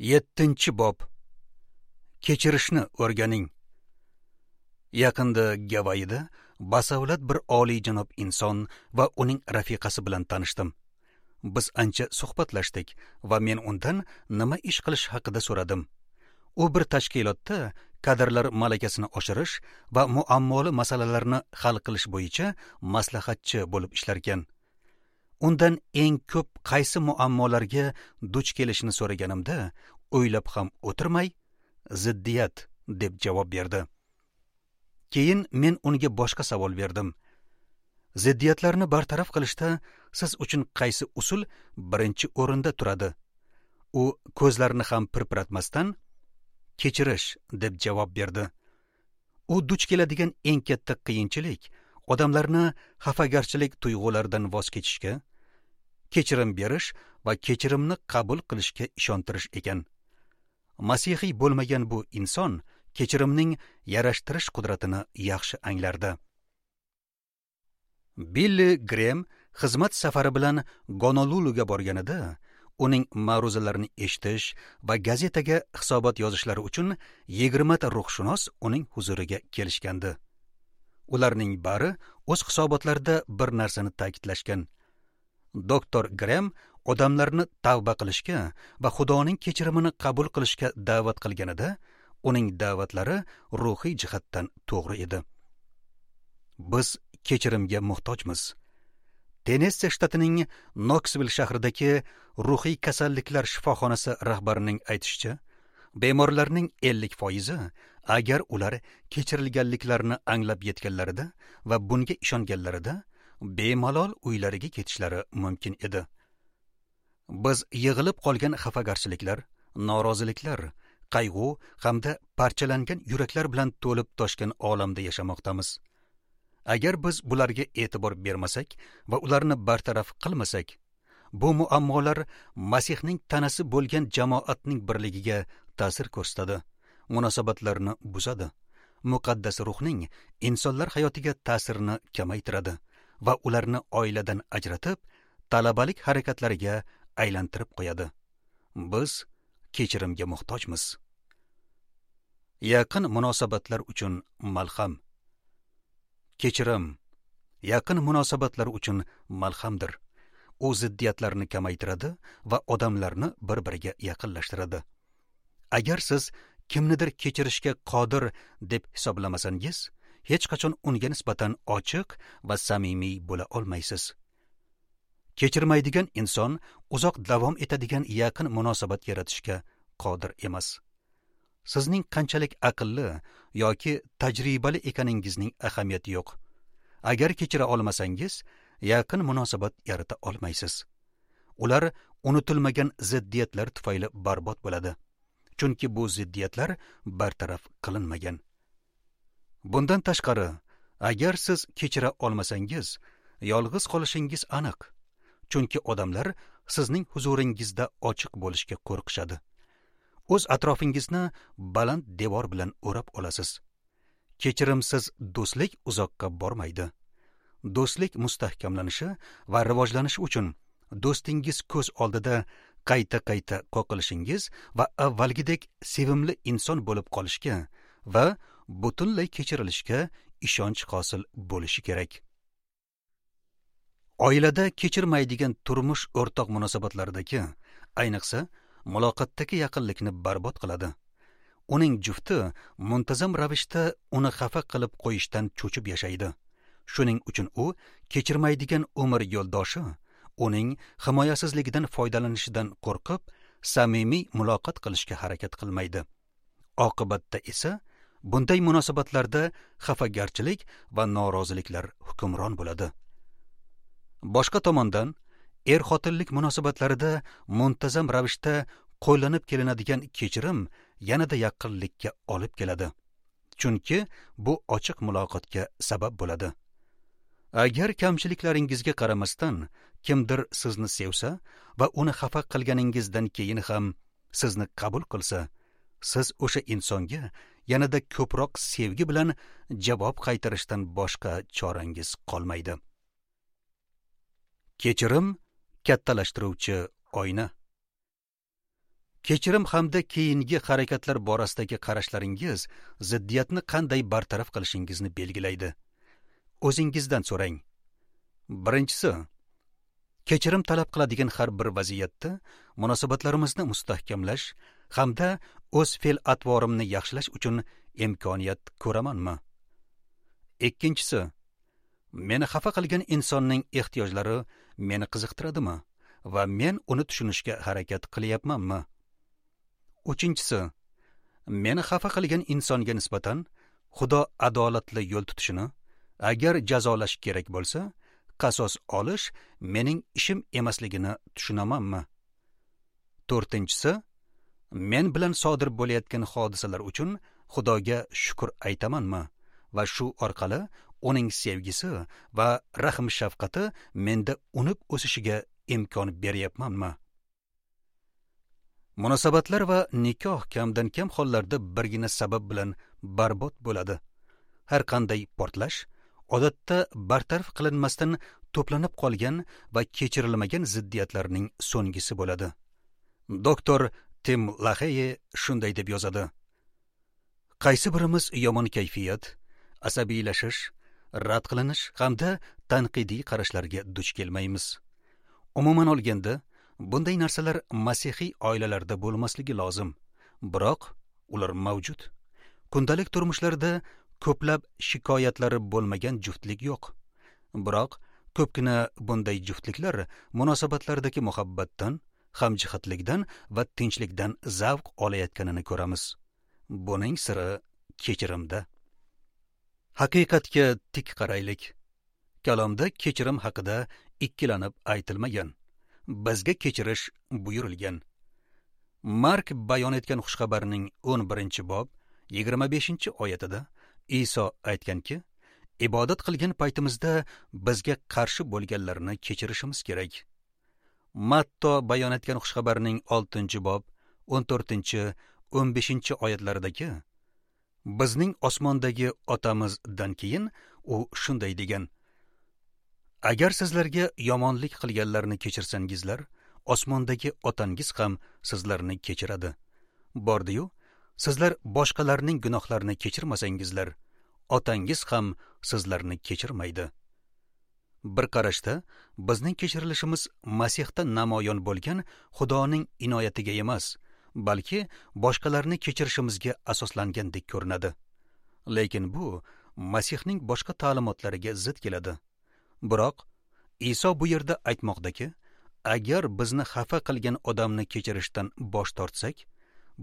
7-bob. Kechirishni o'rganing. Yaqinda Gavayida basavlat bir oliyjanob inson va uning rafiqasi bilan tanishdim. Biz ancha suhbatlashdik va men undan nima ish qilish haqida so'radim. U bir tashkilotda kadrlar malakasini oshirish va muammoli masalalarni hal qilish bo'yicha maslahatchi bo'lib ishlarkan. Undan eng ko'p qaysi muammolarga duch kelishini so'raganimda, o'ylab ham o'tirmay, ziddiyat deb javob berdi. Keyin men unga boshqa savol berdim. Ziddiyatlarni bartaraf qilishda siz uchun qaysi usul birinchi o'rinda turadi? U ko'zlarini ham pirpiratmasdan kechirish deb javob berdi. U duch keladigan eng katta qiyinchilik odamlarni xafagarchilik tuyg'ularidan voz kechishga, kechirim berish va kechirimni qabul qilishga ishontirish ekan. Masihiy bo'lmagan bu inson kechirimning yarashtirish qudratini yaxshi anglardi. Billi Grem xizmat safari bilan Gonoluluga borganida, uning ma'ruzalarini eshitish va gazetaga hisobot yozishlari uchun 20 ta ruhshunos uning huzuriga kelishgandi. Ularning bari o'z hisobotlarida bir narsani ta'kidlashgan. Doktor Grem odamlarni tavba qilishga va Xudoning kechirimini qabul qilishga da'vat qilganida, uning da'vatlari ruhiy jihatdan to'g'ri edi. Biz kechirimga muhtojmiz. Tennessi shtatining Noksvill shahridagi ruhiy kasalliklar shifoxonasi rahbarining aytishicha, bemorlarning 50% agar ular kechirilganliklarini anglab yetganlarida va bunga ishonganlarida bemalol uylariga ketishlari mumkin edi. Biz yig'ilib qolgan xafagarchiliklar, noroziliklar, qayg'u hamda parchalangan yuraklar bilan to'lib toshgan olamda yashamoqdamiz. Agar biz bularga e'tibor bermasak va ularni bartaraf qilmasak, bu muammolar Masihning tanasi bo'lgan jamoatning birligiga ta'sir ko'rsatadi, munosabatlarni buzadi, muqaddas ruhning insonlar hayotiga ta'sirini kamaytiradi va ularni oiladan ajratib, talabalik harakatlariga aylantirib qo'yadi. Biz kechirimga muhtojmiz. Yaqin munosabatlar uchun malham. Kechirim yaqin munosabatlar uchun malhamdir. U ziddiyatlarni kamaytiradi va odamlarni bir-biriga yaqinlashtiradi. Agar siz kimnidir kechirishga qodir deb hisoblamasangiz, hech qachon unga nisbatan ochiq va samimiy bo'la olmaysiz. Kechirmaydigan inson uzoq davom etadigan yaqin munosabat yaratishga qodir emas. Sizning qanchalik aqlli yoki tajribali ekaningizning ahamiyati yo'q. Agar kechira olmasangiz, yaqin munosabat yarata olmaysiz. Ular unutilmagan ziddiyatlar tufayli barbod bo'ladi. Chunki bu ziddiyatlar bartaraf qilinmagan. Bundan tashqari, agar siz kechira olmasangiz, yolg'iz qolishingiz aniq. Chunki odamlar sizning huzuringizda ochiq bo'lishga qo'rqishadi. O'z atrofingizni baland devor bilan o'rab olasiz. Kechirimsiz do'stlik uzoqqa bormaydi. Do'stlik mustahkamlanishi va rivojlanishi uchun do'stingiz ko'z oldida qayta-qayta qoqilishingiz va avvalgidek sevimli inson bo'lib qolishga va butunlay kechirilishga ishonch hosil bo'lishi kerak. Oilada kechirmaydigan turmush o'rtoq munosabatlaridagi, ayniqsa muloqotdagi yaqinlikni barbod qiladi. Uning jufti muntazam ravishda uni xafa qilib qo'yishdan cho'chib yashaydi. Shuning uchun u kechirmaydigan umr yo'ldoshi uning himoyasizligidan foydalanishidan qo'rqib, samimiy muloqot qilishga harakat qilmaydi. Oqibatda esa bunday munosabatlarda xafagarchilik va noroziliklar hukmron bo'ladi. Boshqa tomondan, er-xotinlik munosabatlarida muntazam ravishda qo'llanib kelinadigan kechirim yanada yaqinlikka olib keladi. Chunki bu ochiq muloqotga sabab bo'ladi. Agar kamchiliklaringizga qaramasdan kimdir sizni sevsa va uni xafa qilganingizdan keyin ham sizni qabul qilsa, siz o'sha insonga yanada ko'proq sevgi bilan javob qaytarishdan boshqa chorangiz qolmaydi. Kechirim kattalashtiruvchi oyna. Kechirim hamda keyingi harakatlar borasidagi qarashlaringiz ziddiyatni qanday bartaraf qilishingizni belgilaydi. O'zingizdan so'rang. Birinchisi, kechirim talab qiladigan har bir vaziyatda munosabatlarimizni mustahkamlash hamda o'z fe'l-atvorimni yaxshilash uchun imkoniyat ko'ramanmi? Ikkinchisi, meni xafa qilgan insonning ehtiyojlari meni qiziqtiradimi va men uni tushunishga harakat qilyapmanmi? Uchinchisi, meni xafa qilgan insonga nisbatan Xudo adolatli yo'l tutishini, agar jazolash kerak bo'lsa, qasos olish mening ishim emasligini tushunamanmi? To'rtinchisi, men bilan sodir bo'layotgan hodisalar uchun Xudoga shukr aytamanmi va shu orqali uning sevgisi va rahm shafqati menda unib o'sishiga imkon beryapmanmi? Munosabatlar va nikoh kamdan kam hollarda birgina sabab bilan barbod bo'ladi. Har qanday portlash odatda bartaraf qilinmasdan to'planib qolgan va kechirilmagan ziddiyatlarning so'nggisi bo'ladi. Doktor Tim Laheye shunday deb yozadi: Qaysi birimiz yomon kayfiyat, asabiylashish, rad qilinish hamda tanqidiy qarashlarga duch kelmaymiz? Umuman olganda, bunday narsalar masihiy oilalarda bo'lmasligi lozim, biroq ular mavjud. Kundalik turmushlarda ko'plab shikoyatlari bo'lmagan juftlik yo'q. Biroq ko'pgina bunday juftliklar munosabatlardagi muhabbatdan, hamjihatlikdan va tinchlikdan zavq olayotganini ko'ramiz. Buning siri kechirimda. Haqiqatga tik qaraylik. Kalomda kechirim haqida ikkilanib aytilmagan. Bizga kechirish buyurilgan. Mark bayon etgan xushxabarning 11-bob 25-oyatida Iso aytganki, ibodat qilgan paytimizda bizga qarshi bo'lganlarni kechirishimiz kerak. Matto bayon etgan xushxabarning 6-bob 14-15 oyatlaridagi bizning osmondagi otamizdan keyin u shunday degan: Agar sizlarga yomonlik qilganlarni kechirsangizlar, osmondagi otangiz ham sizlarni kechiradi. Bordi-yu, sizlar boshqalarning gunohlarini kechirmasangizlar, otangiz ham sizlarni kechirmaydi. Bir qarashda bizning kechirilishimiz Masihda namoyon bo'lgan Xudoning inoyatiga emas, balki boshqalarni kechirishimizga asoslangandek ko'rinadi. Lekin bu Masihning boshqa ta'limotlariga zid keladi. Biroq Iso bu yerda aytmoqdaki, agar bizni xafa qilgan odamni kechirishdan bosh tortsak,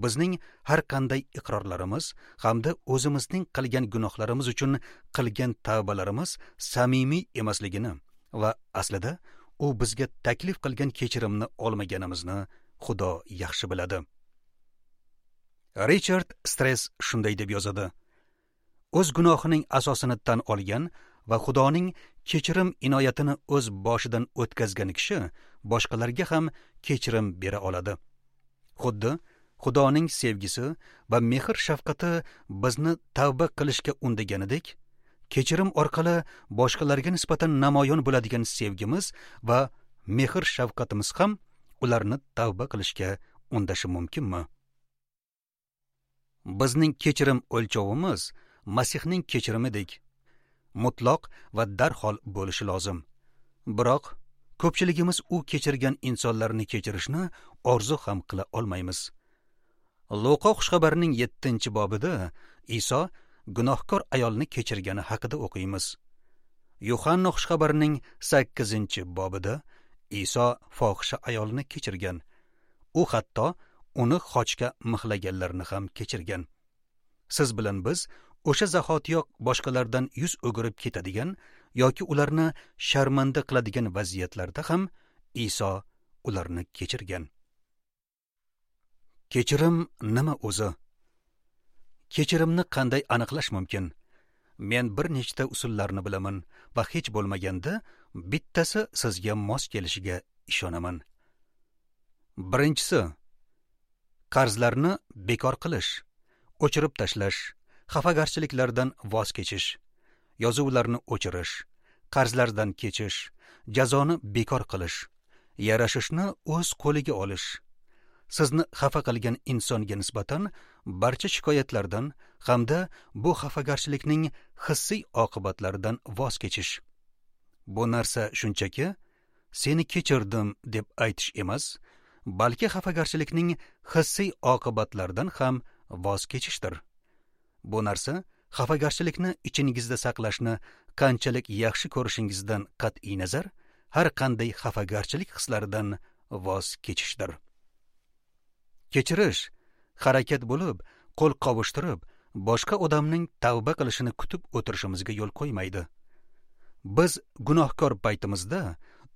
bizning har qanday iqrorlarimiz hamda o'zimizning qilgan gunohlarimiz uchun qilgan tavbalarimiz samimiy emasligini va aslida u bizga taklif qilgan kechirimni olmaganimizni Xudo yaxshi biladi. Richard Stress shunday deb yozadi: O'z gunohining asosini tan olgan va Xudoning kechirim inoyatini o'z boshidan o'tkazgan kishi boshqalarga ham kechirim bera oladi. Xuddi Xudoning sevgisi va mehr shafqati bizni tavba qilishga undaganidek, kechirim orqali boshqalarga nisbatan namoyon bo'ladigan sevgimiz va mehr shafqatimiz ham ularni tavba qilishga undashi mumkinmi? Bizning kechirim o'lchovimiz Masihning kechirimidek mutlaq va darhol bo'lishi lozim. Biroq ko'pchiligimiz u kechirgan insonlarni kechirishni orzu ham qila olmaymiz. Luqa xushxabarining 7-bobida Iso gunohkor ayolni kechirgani haqida o'qiymiz. Yuhanna xushxabarining 8-bobida Iso fohisha ayolni kechirgan. U hatto uni xochga mixlaganlarni ham kechirgan. Siz bilan biz o'sha zahotiyoq boshqalardan yuz o'girib ketadigan yoki ularni sharmanda qiladigan vaziyatlarda ham Iso ularni kechirgan. Kechirim nima o'zi? Kechirimni qanday aniqlash mumkin? Men bir nechta usullarni bilaman va hech bo'lmaganda bittasi sizga mos kelishiga ishonaman. Birinchisi, qarzlarni bekor qilish, o'chirib tashlash, xafagarchiliklardan voz kechish, yozuvlarni o'chirish, qarzlardan kechish, jazoni bekor qilish, yarashishni o'z qo'liga olish, sizni xafa qilgan insonga nisbatan barcha shikoyatlardan hamda bu xafagarchilikning hissiy oqibatlaridan voz kechish. Bu narsa shunchaki seni kechirdim deb aytish emas, balki xafagarchilikning hissiy oqibatlaridan ham voz kechishdir. Bu narsa xafagarchilikni ichingizda saqlashni qanchalik yaxshi ko'rishingizdan qat'iy nazar, har qanday xafagarchilik hislaridan voz kechishdir. Kechirish harakat bo'lib, qo'l qovushtirib, boshqa odamning tavba qilishini kutib o'tirishimizga yo'l qo'ymaydi. Biz gunohkor paytimizda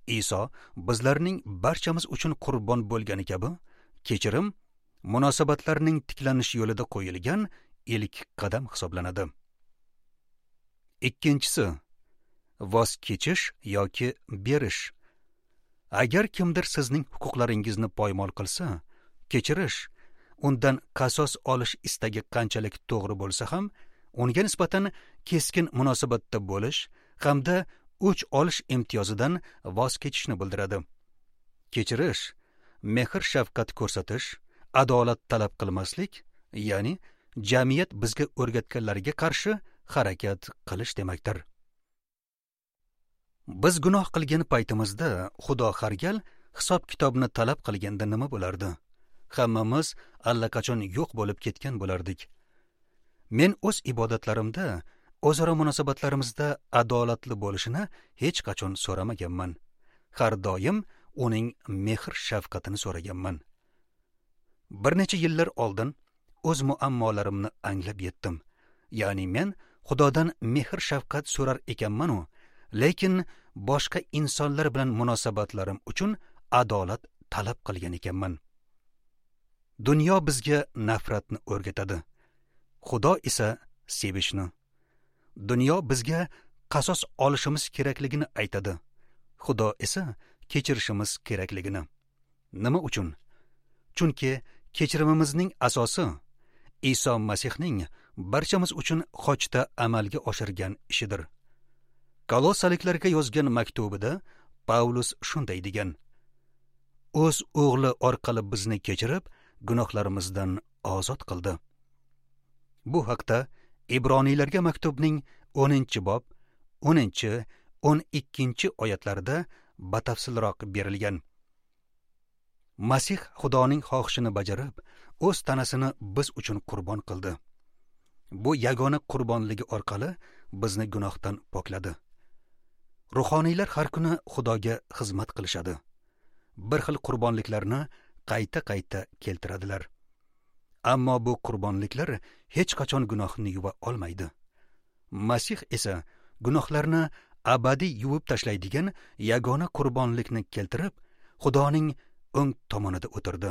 Iso bizlarning barchamiz uchun qurbon bo'lgani kabi, kechirim munosabatlarning tiklanishi yo'lida qo'yilgan ilk qadam hisoblanadi. Ikkinchisi, voz kechish yoki berish. Agar kimdir sizning huquqlaringizni poymol qilsa, kechirish, undan qasos olish istagi qanchalik to'g'ri bo'lsa ham, unga nisbatan keskin munosabatda bo'lish hamda o'ch olish imtiyozidan voz kechishni bildiradi. Kechirish, mehr shafqat ko'rsatish, adolat talab qilmaslik, ya'ni jamiyat bizga o'rgatganlarga qarshi harakat qilish demakdir. Biz gunoh qilgan paytimizda Xudo har gal hisob-kitobni talab qilganda nima bo'lardi? Hammamiz allaqachon yo'q bo'lib ketgan bo'lardik. Men o'z ibodatlarimda, o'zaro munosabatlarimizda adolatli bo'lishini hech qachon so'ramaganman. Har doim uning mehr shafqatini so'raganman. Bir necha yillar oldin o'z muammolarimni anglab yetdim. Ya'ni men Xudodan mehr shafqat so'rar ekanman-u, lekin boshqa insonlar bilan munosabatlarim uchun adolat talab qilgan ekanman. Dunyo bizga nafratni o'rgatadi. Xudo esa sevishni. Dunyo bizga qasos olishimiz kerakligini aytadi. Xudo esa kechirishimiz kerakligini. Nima uchun? Chunki kechirimimizning asosi Iso Masihning barchamiz uchun xochda amalga oshirgan ishidir. Kolossaliklarga yozgan maktubida Pavlus shunday degan: O'z o'g'li orqali bizni kechirib, gunohlarimizdan ozod qildi. Bu haqda Ibroniylarga maktubning 10-bob 10-12 oyatlarida batafsilroq berilgan. Masih Xudoning xohishini bajarib, o'z tanasini biz uchun qurbon qildi. Bu yagona qurbonligi orqali bizni gunohdan pokladi. Ruhoniylar har kuni Xudoga xizmat qilishadi. Bir xil qurbonliklarni qayta-qayta keltiradilar. Ammo bu qurbonliklar hech qachon gunohni yuva olmaydi. Masih esa gunohlarni abadiy yuvib tashlaydigan yagona qurbonlikni keltirib, Xudoning o'ng tomonida o'tirdi.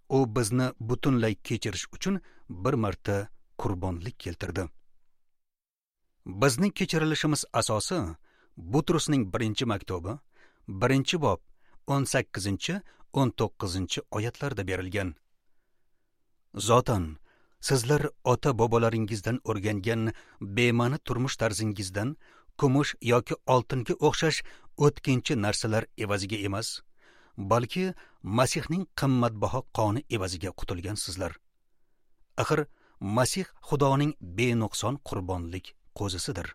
U bizni butunlay kechirish uchun bir marta qurbonlik keltirdi. Bizning kechirilishimiz asosi Butrusning 1-maktubi, 1-bob 18-19 oyatlarda berilgan. Zotan, sizlar ota-bobolaringizdan o'rgangan bema'ni turmush tarzingizdan kumush yoki oltinga o'xshash o'tkinchi narsalar evaziga emas, balki Masihning qimmatbaho qoni evaziga qutulgansizlar. Axir Masih Xudoning benuqson qurbonlik qo'zisidir.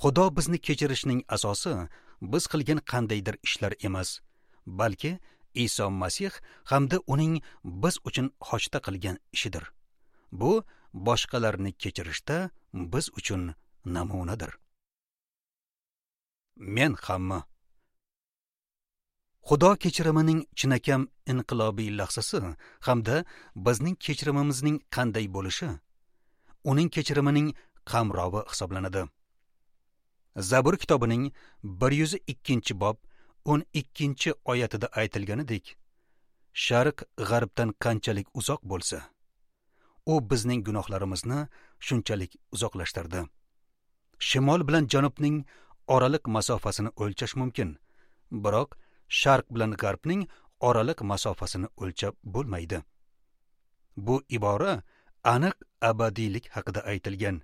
Xudo bizni kechirishning asosi biz qilgan qandaydir ishlar emas, balki Iso Masih hamda uning biz uchun xochda qilgan ishidir. Bu boshqalarni kechirishda biz uchun namunadir. Men hamma Xudo kechirimining chinakam inqilobiy lahzasi hamda bizning kechirimimizning qanday bo'lishi uning kechirimining qamrovi hisoblanadi. Zabur kitobining 102-bob 12-oyatida aytilganidek, Sharq g'arbdan qanchalik uzoq bo'lsa, u bizning gunohlarimizni shunchalik uzoqlashtirdi. Shimol bilan janubning oraliq masofasini o'lchash mumkin, biroq Sharq bilan g'arbning oraliq masofasini o'lchab bo'lmaydi. Bu ibora aniq abadiylik haqida aytilgan.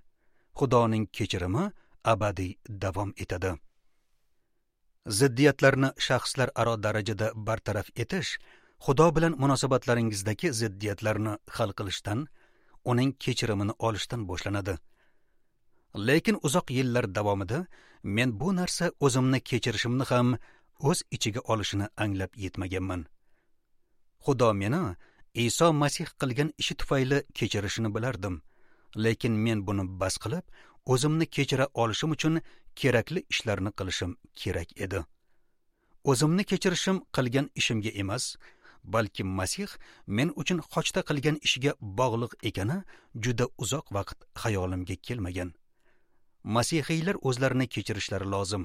Xudoning kechirimi abadiy davom etadi. Ziddiyatlarni shaxslar aro darajada bartaraf etish Xudo bilan munosabatlaringizdagi ziddiyatlarni hal qilishdan, uning kechirimini olishdan boshlanadi. Lekin uzoq yillar davomida men bu narsa o'zimni kechirishimni ham o'z ichiga olishini anglab yetmaganman. Xudo meni Iso Masih qilgan ishi tufayli kechirishini bilardim, lekin men buni bas qilib, o'zimni kechira olishim uchun kerakli ishlarni qilishim kerak edi. O'zimni kechirishim qilgan ishimga emas, balki Masih men uchun xochda qilgan ishiga bog'liq ekani juda uzoq vaqt xayolimga kelmagan. Masihiylar o'zlarini kechirishlari lozim.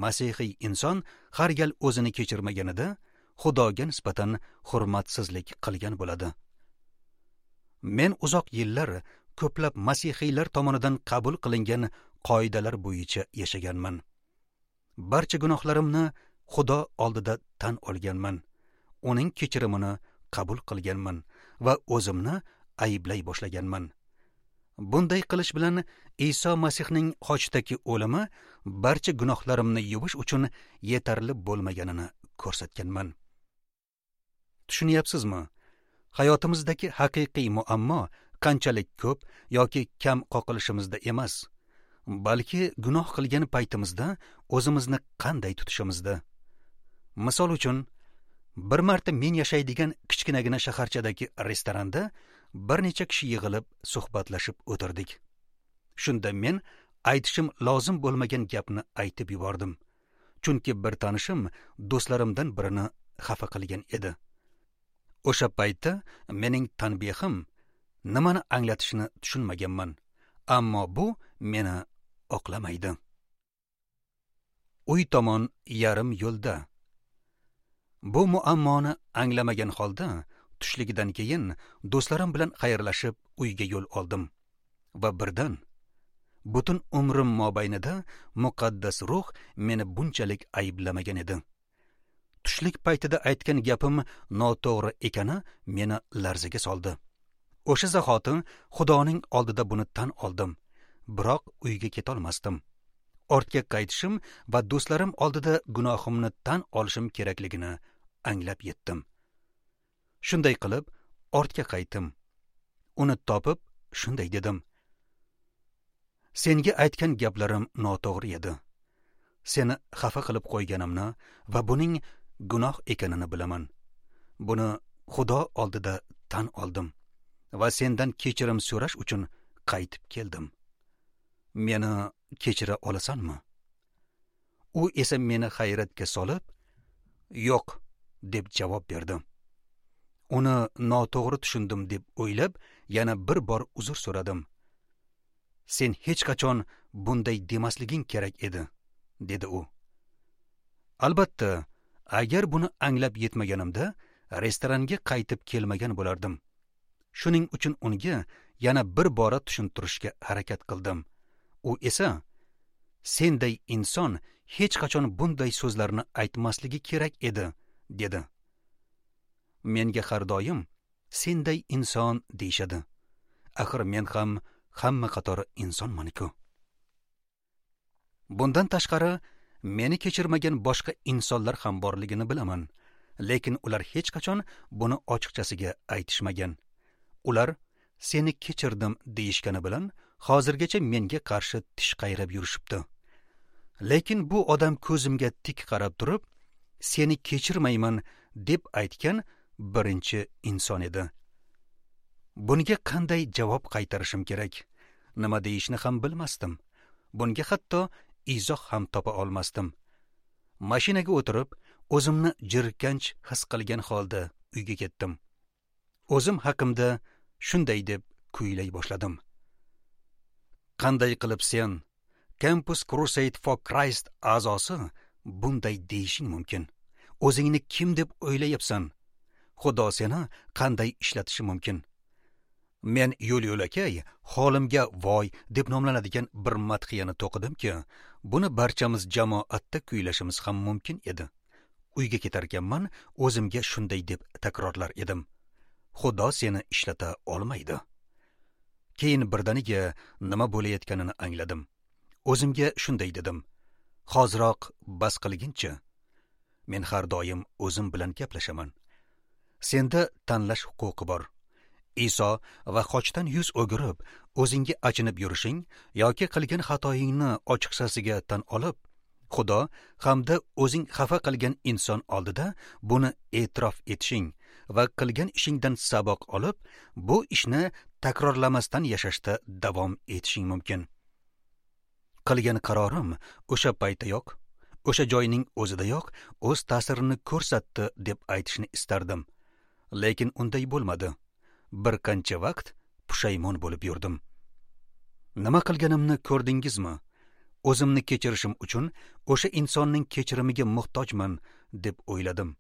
Masihiy inson har gal o'zini kechirmaganida Xudoga nisbatan hurmatsizlik qilgan bo'ladi. Men uzoq yillar ko'plab masihiylar tomonidan qabul qilingan qoidalar bo'yicha yashaganman. Barcha gunohlarimni Xudo oldida tan olganman. Uning kechirimini qabul qilganman va o'zimni ayblay boshlaganman. Bunday qilish bilan Iso Masihning xochdagi o'limi barcha gunohlarimni yuvish uchun yetarli bo'lmaganini ko'rsatganman. Tushunyapsizmi? Hayotimizdagi haqiqiy muammo qanchalik ko'p yoki kam qoqilishimizda emas, balki gunoh qilgan paytimizda o'zimizni qanday tutishimizda. Misol uchun, bir marta men yashaydigan kichkinagina shaharchadagi restoranda bir necha kishi yig'ilib suhbatlashib o'tirdik. Shunda men aytishim lozim bo'lmagan gapni aytib yubordim. Chunki bir tanishim do'stlarimdan birini xafa qilgan edi. O'sha paytda mening tanbehim nimani anglatishini tushunmaganman, ammo bu meni oqlamaydi. Uy tomon yarim yo'lda. Bu muammoni anglamagan holda tushligidan keyin do'stlarim bilan xayrlashib uyga yo'l oldim va birdan butun umrim mobaynida muqaddas ruh meni bunchalik ayblamagan edi. Tushlik paytida aytgan gapim noto'g'ri ekani meni larzaga soldi. O'sha zahoti Xudoning oldida buni tan oldim, biroq uyga ketolmasdim. Ortga qaytishim va do'stlarim oldida gunohimni tan olishim kerakligini anglab yetdim. Shunday qilib ortga qaytdim. Uni topib shunday dedim: Senga aytgan gaplarim noto'g'ri edi. Seni xafa qilib qo'yganimni va buning gunoh ekanini bilaman. Buni Xudo oldida tan oldim va sendan kechirim so'rash uchun qaytib keldim. Meni kechira olasanmi? U esa meni hayratga solib, yo'q deb javob berdi. Uni noto'g'ri tushundim deb o'ylab, yana bir bor uzr so'radim. Sen hech qachon bunday demasliging kerak edi, dedi u. Albatta, agar buni anglab yetmaganimda, restoranga qaytib kelmagan bo'lardim. Shuning uchun unga yana bir bora tushuntirishga harakat qildim. U esa, senday inson hech qachon bunday so'zlarni aytmasligi kerak edi, dedi. Menga har doim senday inson deyishadi. Axir men ham hamma qatori insonman-ku. Bundan tashqari, meni kechirmagan boshqa insonlar ham borligini bilaman, lekin ular hech qachon buni ochiqchasiga aytishmagan. Ular seni kechirdim deyishgani bilan hozirgacha menga qarshi tish qayrab yurishibdi. Lekin bu odam ko'zimga tik qarab turib, seni kechirmayman deb aytgan birinchi inson edi. Bunga qanday javob qaytarishim kerak? Nima deyishni ham bilmasdim. Bunga hatto izoh ham topa olmasdim. Mashinaga o'tirib, o'zimni jirkanch his qilgan holda uyga ketdim. O'zim haqimda shunday deb kuylay boshladim. Qanday qilib sen, Campus Crusade for Christ a'zosi, bunday deyishing mumkin? O'zingni kim deb o'ylayapsan? Xudo seni qanday ishlatishi mumkin? Men yo'l-yo'lakay holimga voy deb nomlanadigan bir madhiyani to'qidimki, buni barchamiz jamoatda kuylashimiz ham mumkin edi. Uyga ketarkanman o'zimga shunday deb takrorlar edim: Xudo seni ishlata olmaydi. Keyin birdaniga nima bo'layotganini angladim. O'zimga shunday dedim: Hoziroq bas qilginchi. Men har doim o'zim bilan gaplashaman. Senda tanlash huquqi bor. Iso va xochdan yuz o'girib, o'zingga achinib yurishing yoki qilgan xatoyingni ochiqchasiga tan olib, Xudo hamda o'zing xafa qilgan inson oldida buni e'tirof etishing va qilgan ishingdan saboq olib, bu ishni takrorlamasdan yashashda davom etishing mumkin. Qilgan qarorim o'sha paytdayoq, o'sha joyning o'zidayoq o'z ta'sirini ko'rsatdi deb aytishni istardim. Lekin unday bo'lmadi. Bir qancha vaqt pushaymon bo'lib yurdim. Nima qilganimni ko'rdingizmi? O'zimni kechirishim uchun o'sha insonning kechirimiga muhtojman deb o'yladim.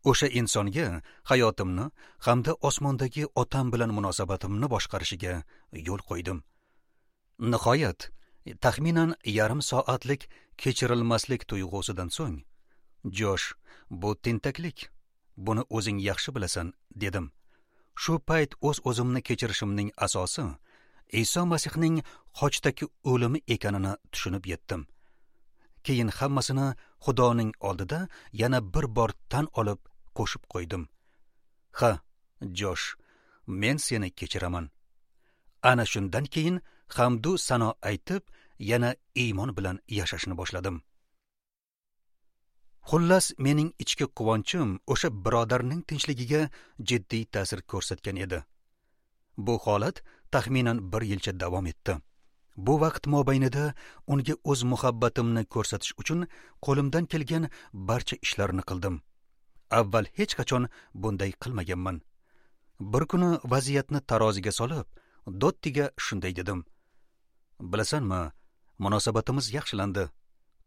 O'sha insonga hayotimni hamda osmondagi otam bilan munosabatimni boshqarishiga yo'l qo'ydim. Nihoyat, taxminan yarim soatlik kechirilmaslik tuyg'usidan so'ng, "Josh, bu tentaklik. Buni o'zing yaxshi bilasan" dedim. Shu payt o'z-o'zimni kechirishimning asosi Iso Masihning xochdagi o'limi ekanini tushunib yetdim. Keyin hammasini Xudoning oldida yana bir bor tan olib qo'shib qo'ydim. Ha, Josh, men seni kechiraman. Ana shundan keyin hamdu sano aytib, yana iymon bilan yashashni boshladim. Xullas, mening ichki quvonchim o'sha birodarning tinchligiga jiddiy ta'sir ko'rsatgan edi. Bu holat taxminan bir yilcha davom etdi. Bu vaqt mobaynida unga o'z muhabbatimni ko'rsatish uchun qo'limdan kelgan barcha ishlarni qildim. Avval hech qachon bunday qilmaganman. Bir kuni vaziyatni taroziga solib, Dottiga shunday dedim: "Bilasanmi, munosabatimiz yaxshilandi.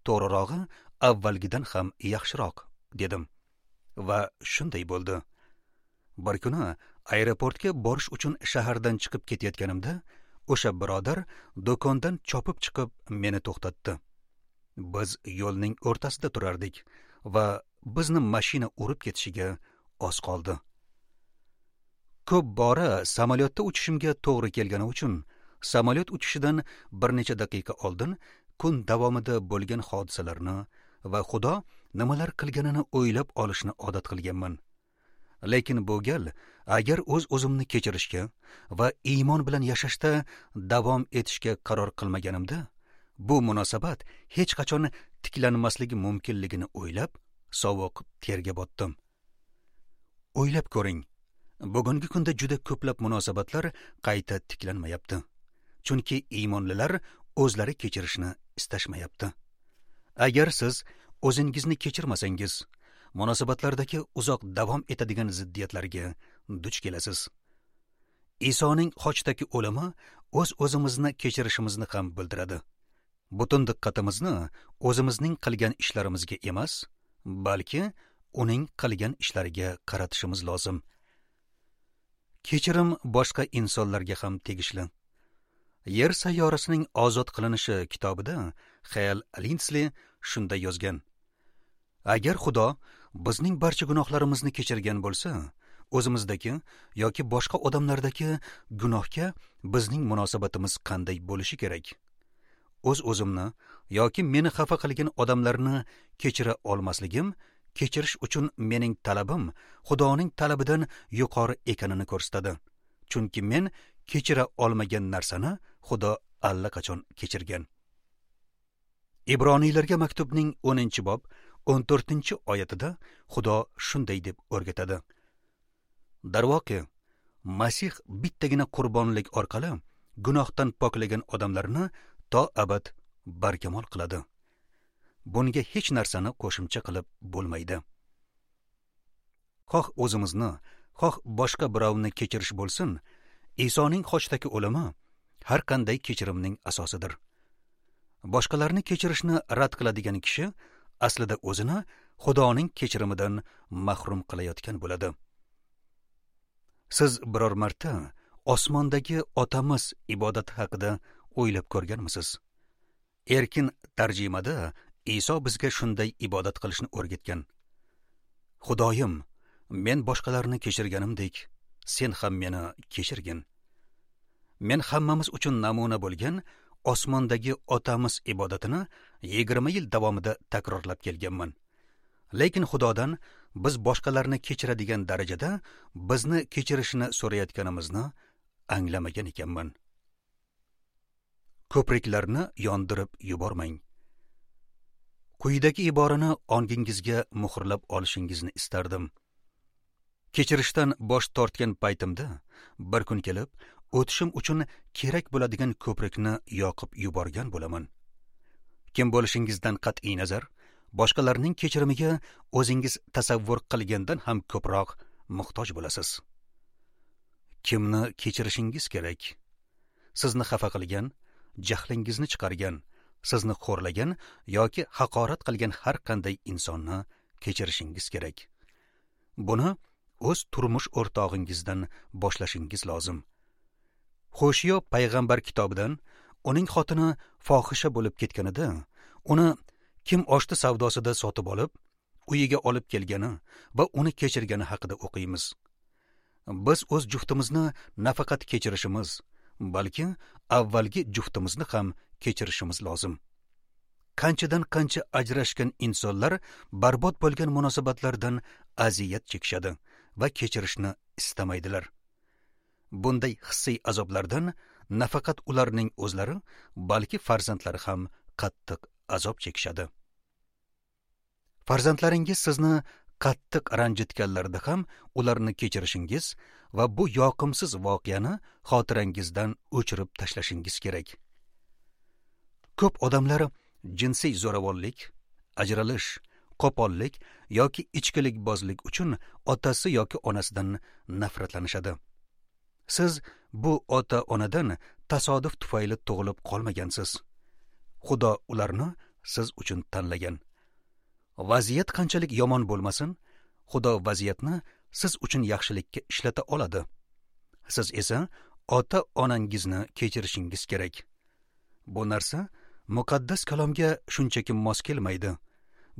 To'g'rirog'i, avvalgidan ham yaxshiroq" dedim. Va shunday bo'ldi. Bir kuni aeroportga borish uchun shahardan chiqib ketayotganimda, o'sha birodar do'kondan chopib chiqib meni to'xtatdi. Biz yo'lning o'rtasida turardik va bizni mashina urib ketishiga oz qoldi. Ko'p bora samolyotda uchishimga to'g'ri kelgani uchun samolyot uchishidan bir necha daqiqa oldin kun davomida bo'lgan hodisalarni va Xudo nimalar qilganini o'ylab olishni odat qilganman. Lekin bu gal agar o'z-o'zimni kechirishga va iymon bilan yashashda davom etishga qaror qilmaganimda, bu munosabat hech qachon tiklanmasligi mumkinligini o'ylab, sovuq terga botdim. O'ylab ko'ring, bugungi kunda juda ko'plab munosabatlar qayta tiklanmayapti. Chunki iymonlilar o'zlari kechirishni istashmayapti. Agar siz o'zingizni kechirmasangiz, munosabatlardagi uzoq davom etadigan ziddiyatlarga duch kelasiz. Isoning xochdagi o'limi o'z-o'zimizni kechirishimizni ham bildiradi. Butun diqqatimizni o'zimizning qilgan ishlarimizga emas, balki uning qilgan ishlariga qaratishimiz lozim. Kechirim boshqa insonlarga ham tegishli. Yer sayyorasining ozod qilinishi kitobida Xayal Lindsli shunday yozgan: Agar Xudo bizning barcha gunohlarimizni kechirgan bo'lsa, o'zimizdagi yoki boshqa odamlardagi gunohga bizning munosabatimiz qanday bo'lishi kerak? O'z-o'zimni yoki meni xafa qilgan odamlarni kechira olmasligim, kechirish uchun mening talabim Xudoning talabidan yuqori ekanini ko'rsatadi. Chunki men kechira olmagan narsani Xudo allaqachon kechirgan. Ibroniylarga maktubning 10-bob 14-oyatida Xudo shunday deb o'rgatadi: Darvoqe, Masih bittagina qurbonlik orqali gunohdan poklagan odamlarni to abad barkamol qiladi. Bunga hech narsani qo'shimcha qilib bo'lmaydi. Xoh o'zimizni, xoh boshqa birovni kechirish bo'lsin, Isoning xochdagi o'limi har qanday kechirimning asosidir. Boshqalarni kechirishni rad qiladigan kishi aslida o'zini Xudoning kechirimidan mahrum qilayotgan bo'ladi. Siz biror marta osmondagi otamiz ibodati haqida o'ylab ko'rganmisiz? Erkin tarjimada Iso bizga shunday ibodat qilishni o'rgatgan. Xudoyim, men boshqalarni kechirganimdek, sen ham meni kechirgin. Men hammamiz uchun namuna bo'lgan osmondagi otamiz ibodatini 20 yil davomida takrorlab kelganman. Lekin Xudodan biz boshqalarni kechiradigan darajada bizni kechirishini so'rayotganimizni anglamagan ekanman. Ko'priklarni yondirib yubormang. Quyidagi iborani ongingizga muhrlab olishingizni istardim. Kechirishdan bosh tortgan paytimda bir kun kelib, o'tishim uchun kerak bo'ladigan ko'prikni yoqib yuborgan bo'laman. Kim bo'lishingizdan qat'iy nazar, boshqalarning kechirimiga o'zingiz tasavvur qilgandan ham ko'proq muhtoj bo'lasiz. Kimni kechirishingiz kerak? Sizni xafa qilgan, jahlingizni chiqargan, sizni xo'rlagan yoki haqorat qilgan har qanday insonni kechirishingiz kerak. Buni o'z turmush o'rtog'ingizdan boshlashingiz lozim. Xo'shiyo payg'ambar kitobidan uning xotini fohisha bo'lib ketganida, uni kim oshti savdosida sotib olib, uyiga olib kelgani va uni kechirgani haqida o'qiymiz. Biz o'z juftimizni nafaqat kechirishimiz, balki avvalgi juftimizni ham kechirishimiz lozim. Qanchadan qancha ajrashgan insonlar barbod bo'lgan munosabatlardan aziyat chekishadi va kechirishni istamaydilar. Bunday hissiy azoblardan nafaqat ularning o'zlari, balki farzandlari ham qattiq azob chekishadi. Farzandlaringiz sizni qattiq ranjitganlarida ham ularni kechirishingiz va bu yoqimsiz voqeani xotirangizdan o'chirib tashlashingiz kerak. Ko'p odamlar jinsiy zo'ravonlik, ajralish, qo'pollik yoki ichkilikbozlik uchun otasi yoki onasidan nafratlanishadi. Siz bu ota-onadan tasodif tufayli tug'ilib qolmagansiz. Xudo ularni siz uchun tanlagan. Vaziyat qanchalik yomon bo'lmasin, Xudo vaziyatni siz uchun yaxshilikka ishlata oladi. Siz esa ota-onangizni kechirishingiz kerak. Bu narsa muqaddas kalomga shunchaki mos kelmaydi.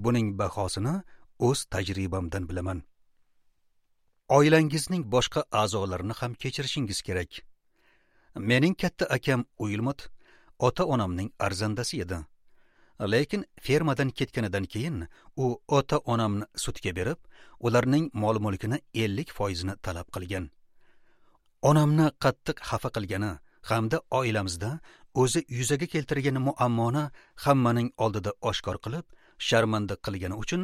Buning bahosini o'z tajribamdan bilaman. Oilangizning boshqa a'zolarini ham kechirishingiz kerak. Mening katta akam Uilmot ota-onamning arzandasi edi. Lekin fermadan ketganidan keyin u ota-onamni sudga berib, ularning mol-mulkini 50% talab qilgan. Onamni qattiq xafa qilgani hamda oilamizda o'zi yuzaga keltirgan muammoni hammaning oldida oshkor qilib, sharmanda qilgani uchun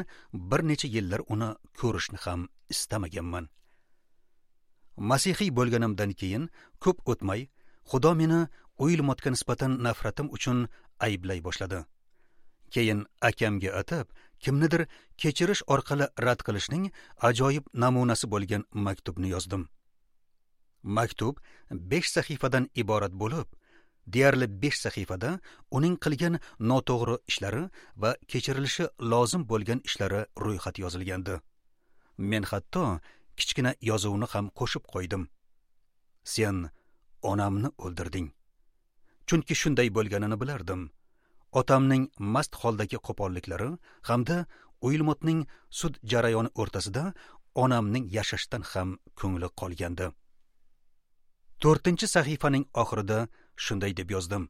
bir necha yillar uni ko'rishni ham istamaganman. Masihiy bo'lganimdan keyin ko'p o'tmay, Xudo meni Uilmotga nisbatan nafratim uchun ayblay boshladi. Keyin akamga atab, kimnidir kechirish orqali rad qilishning ajoyib namunasi bo'lgan maktubni yozdim. Maktub 5 sahifadan iborat bo'lib, deyarli 5 sahifada uning qilgan noto'g'ri ishlari va kechirilishi lozim bo'lgan ishlari ro'yxati yozilgandi. Men hatto kichkina yozuvni ham qo'shib qo'ydim. Sen onamni o'ldirding. Chunki shunday bo'lganini bilardim. Otamning mast holdagi qo'polliklari hamda Uilmotning sud jarayoni o'rtasida onamning yashashdan ham ko'ngli qolgandi. 4-sahifaning oxirida shunday deb yozdim: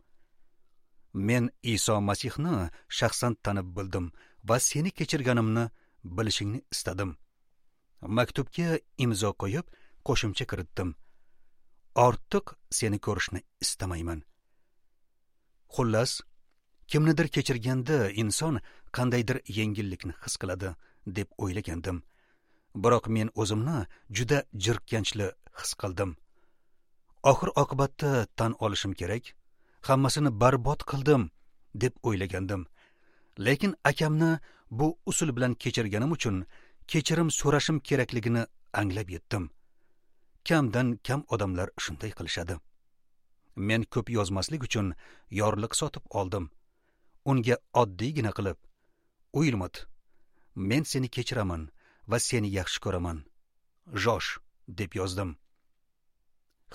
Men Iso Masihni shaxsan tanib bildim va seni kechirganimni bilishingni istadim. Maktubga imzo qo'yib, qo'shimcha kiritdim: Ortiq seni ko'rishni istamayman. Xullas, kimnidir kechirganda inson qandaydir yengillikni his qiladi deb o'ylagandim. Biroq men o'zimni juda jirkanchli his qildim. Oxir oqibatda tan olishim kerak, hammasini barbod qildim deb o'ylagandim. Lekin akamni bu usul bilan kechirganim uchun kechirim so'rashim kerakligini anglab yetdim. Kamdan kam odamlar shunday qilishadi. Men ko'p yozmaslik uchun yorliq sotib oldim. Unga oddiygina qilib: Uilmot, men seni kechiraman va seni yaxshi ko'raman. Josh deb yozdim.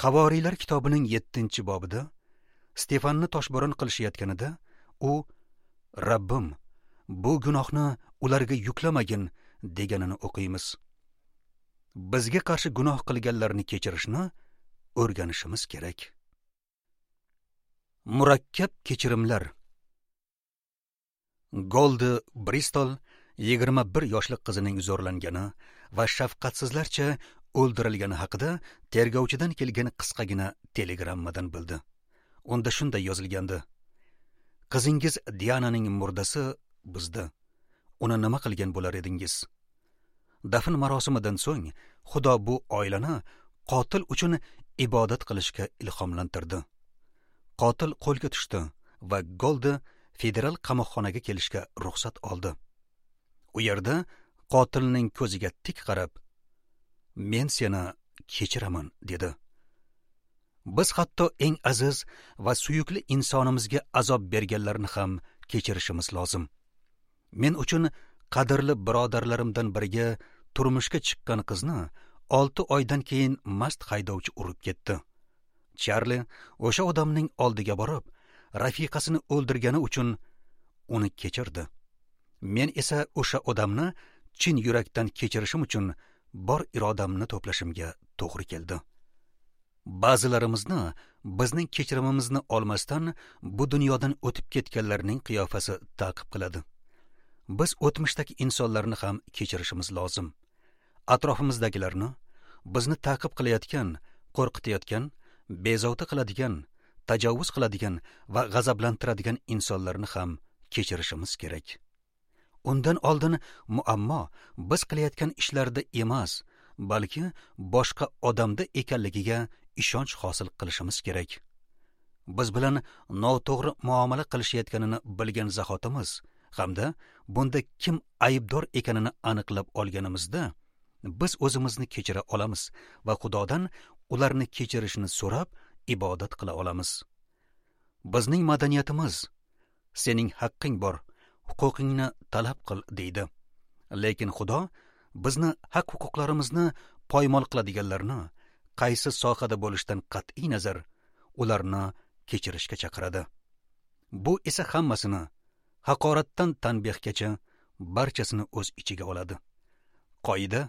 Havoriylar kitobining 7-bobida Stefanni toshbo'ron qilishayotganida u Rabbim, bu gunohni ularga yuklamagin deganini o'qiymiz. Bizga qarshi gunoh qilganlarni kechirishni o'rganishimiz kerak. Murakkab kechirimlar. Goldi Bristol 21 yoshli qizining zo'rlangani va shafqatsizlarcha o'ldirilgani haqida tergovchidan kelgan qisqagina telegrammadan bildi. Unda shunday yozilgandi: Qizingiz Diananing murdasi bizda. Uni nima qilgan bo'lar edingiz? Dafn marosimidan so'ng Xudo bu oilani qotil uchun ibodat qilishga ilhomlantirdi. Qotil qo'lga tushdi va Goldi federal qamoqxonaga kelishga ruxsat oldi. U yerda qotilning ko'ziga tik qarab, "Men seni kechiraman" dedi. Biz hatto eng aziz va suyukli insonimizga azob berganlarni ham kechirishimiz lozim. Men uchun qadrli birodarlarimdan biriga turmushga chiqqan qizni 6 oydan keyin mast haydovchi urib ketdi. Charli o'sha odamning oldiga borib, rafiqasini o'ldirgani uchun uni kechirdi. Men esa o'sha odamni chin yurakdan kechirishim uchun bor irodamni to'plashimga to'g'ri keldi. Ba'zilarimizni bizning kechirimimizni olmasdan bu dunyodan o'tib ketganlarning qiyofasi ta'qib qiladi. Biz o'tmishdagi insonlarni ham kechirishimiz lozim. Atrofimizdagilarni, bizni ta'qib qilayotgan, qo'rqitayotgan, bezovta qiladigan, tajovuz qiladigan va g'azablantiradigan insonlarni ham kechirishimiz kerak. Undan oldin muammo biz qilayotgan ishlarda emas, balki boshqa odamda ekanligiga ishonch hosil qilishimiz kerak. Biz bilan noto'g'ri muomala qilishayotganini bilgan zahotimiz hamda bunda kim aybdor ekanini aniqlab olganimizda biz o'zimizni kechira olamiz va Xudodan ularni kechirishini so'rab ibodat qila olamiz. Bizning madaniyatimiz sening haqqing bor, huquqingni talab qil deydi. Lekin Xudo bizni haq-huquqlarimizni poymol qiladiganlarni qaysi sohada bo'lishidan qat'iy nazar ularni kechirishga chaqiradi. Bu esa hammasini, haqoratdan tanbehgacha barchasini o'z ichiga oladi. Qoida: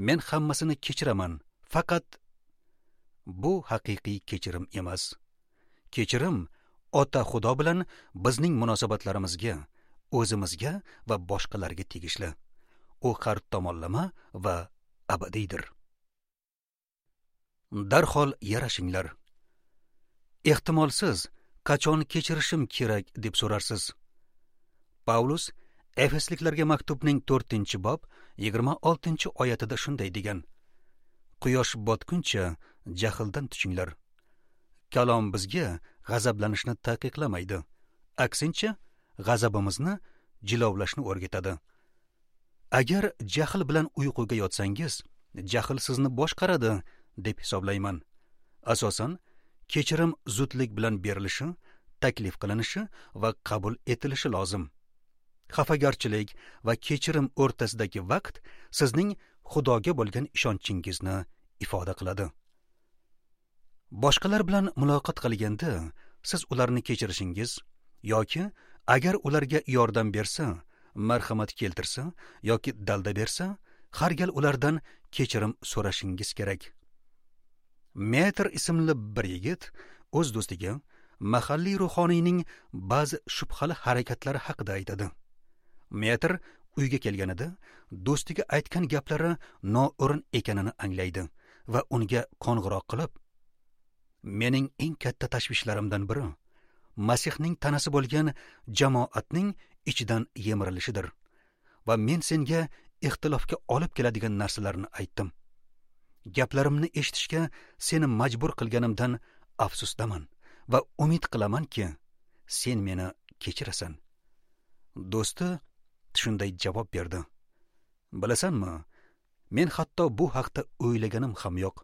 men hammasini kechiraman, faqat bu haqiqiy kechirim emas. Kechirim Ota Xudo bilan bizning munosabatlarimizga, o'zimizga va boshqalarga tegishli. U har tomonlama va abadiydir. Darhol yarashinglar. Ehtimol siz qachon kechirishim kerak deb so'rarsiz. Pavlus Efesliklarga maktubning 4-bob 26-oyatida shunday degan: Quyosh botguncha jahldan tushinglar. Kalom bizga g'azablanishni taqiqlamaydi. Aksincha, g'azabimizni jilovlashni o'rgatadi. Agar jahl bilan uyquga yotsangiz, jahl sizni boshqaradi deb hisoblayman. Asosan, kechirim zudlik bilan berilishi, taklif qilinishi va qabul etilishi lozim. Xafagarchilik va kechirim o'rtasidagi vaqt sizning Xudoga bo'lgan ishonchingizni ifoda qiladi. Boshqalar bilan muloqot qilganda siz ularni kechirishingiz yoki agar ularga yordam bersa, marhamat keltirsa yoki dalda bersa, har gal ulardan kechirim so'rashingiz kerak. Metr ismli bir yigit o'z do'stiga mahalliy ruhoniyning ba'zi shubhali harakatlari haqida aytadi. Metr uyga kelganida do'stiga aytgan gaplari noo'rin ekanini anglaydi va unga qo'ng'iroq qilib, mening eng katta tashvishlarimdan biri Masihning tanasi bo'lgan jamoatning ichidan yemirilishidir va men senga ixtilofga olib keladigan narsalarni aytdim. Gaplarimni eshitishga seni majbur qilganimdan afsusdaman va umid qilamanki, sen meni kechirasan. Do'sti shunday javob berdi: Bilasanmi, men hatto bu haqda o'ylaganim ham yo'q.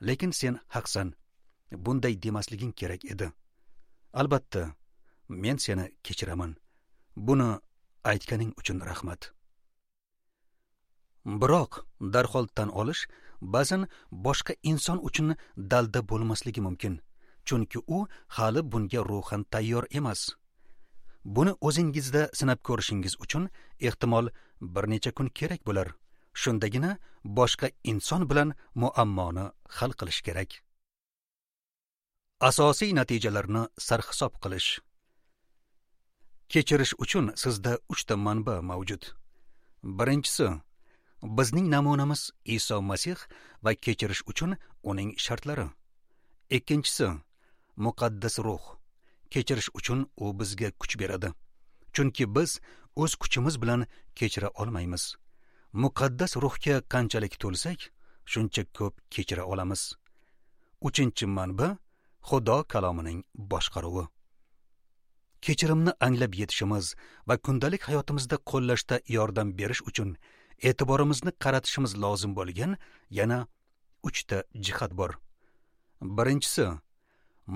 Lekin sen haqsan. Bunday demasliging kerak edi. Albatta, men seni kechiraman. Buni aytganing uchun rahmat. Biroq darhol tan olish ba'zan boshqa inson uchun dalda bo'lmasligi mumkin, chunki u hali bunga ruhan tayyor emas. Buni o'zingizda sinab ko'rishingiz uchun ehtimol bir necha kun kerak bo'lar. Shundagina boshqa inson bilan muammoni hal qilish kerak. Asosiy natijalarni sarhisob qilish. Kechirish uchun sizda 3 ta manba mavjud. Birinchisi, bizning namunamiz Iso Masih va kechirish uchun uning shartlari. Ikkinchisi, muqaddas ruh. Kechirish uchun u bizga kuch beradi. Chunki biz o'z kuchimiz bilan kechira olmaymiz. Muqaddas ruhga qanchalik to'lsak, shuncha ko'p kechira olamiz. Uchinchi manba Xudo kalomining boshqaruvi. Kechirimni anglab yetishimiz va kundalik hayotimizda qo'llashda yordam berish uchun e'tiborimizni qaratishimiz lozim bo'lgan yana 3 ta jihat bor. Birinchisi,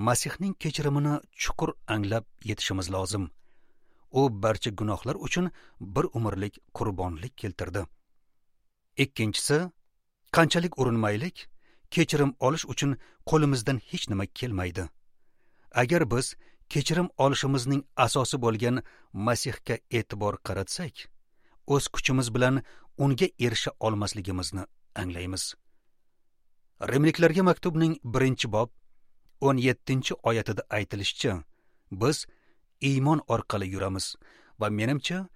Masihning kechirimini chuqur anglab yetishimiz lozim. U barcha gunohlar uchun bir umrlik qurbonlik keltirdi. Ikkinchisi, qanchalik urinmaylik, kechirim olish uchun qo'limizdan hech nima kelmaydi. Agar biz kechirim olishimizning asosi bo'lgan Masihga e'tibor qaratsak, o'z kuchimiz bilan unga erisha olmasligimizni anglaymiz. Rimliklarga maktubning 1-bob 17-oyatida aytilishicha, biz iymon orqali yuramiz va menimcha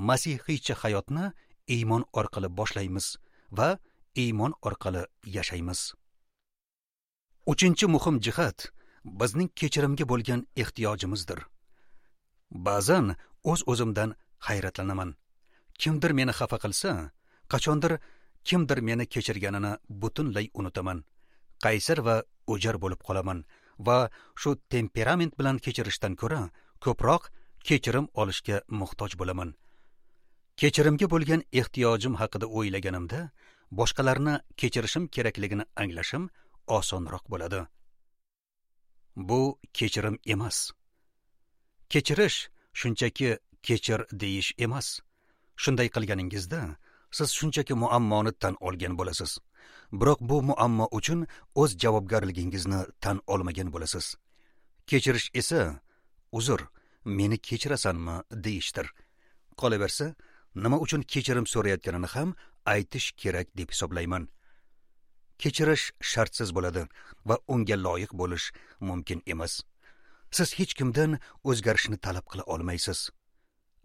masihiycha hayotni iymon orqali boshlaymiz va iymon orqali yashaymiz. Uchinchi muhim jihat bizning kechirimga bo'lgan ehtiyojimizdir. Ba'zan o'z-o'zimdan hayratlanaman. Kimdir meni xafa qilsa, qachondir kimdir meni kechirganini butunlay unutaman. Qaysar va o'jar bo'lib qolaman va shu temperament bilan kechirishdan ko'ra ko'proq kechirim olishga muhtoj bo'laman. Kechirimga bo'lgan ehtiyojim haqida o'ylaganimda, boshqalarni kechirishim kerakligini anglashim osonroq bo'ladi. Bu kechirim emas. Kechirish shunchaki kechir deyish emas. Shunday qilganingizda siz shunchaki muammoni tan olgan bo'lasiz. Biroq bu muammo uchun o'z javobgarligingizni tan olmagan bo'lasiz. Kechirish esa uzr, meni kechirasanmi deyishdir. Qolaversa, nima uchun kechirim so'rayotganini ham aytish kerak deb hisoblayman. Kechirish shartsiz bo'ladi va unga loyiq bo'lish mumkin emas. Siz hech kimdan o'zgarishni talab qila olmaysiz.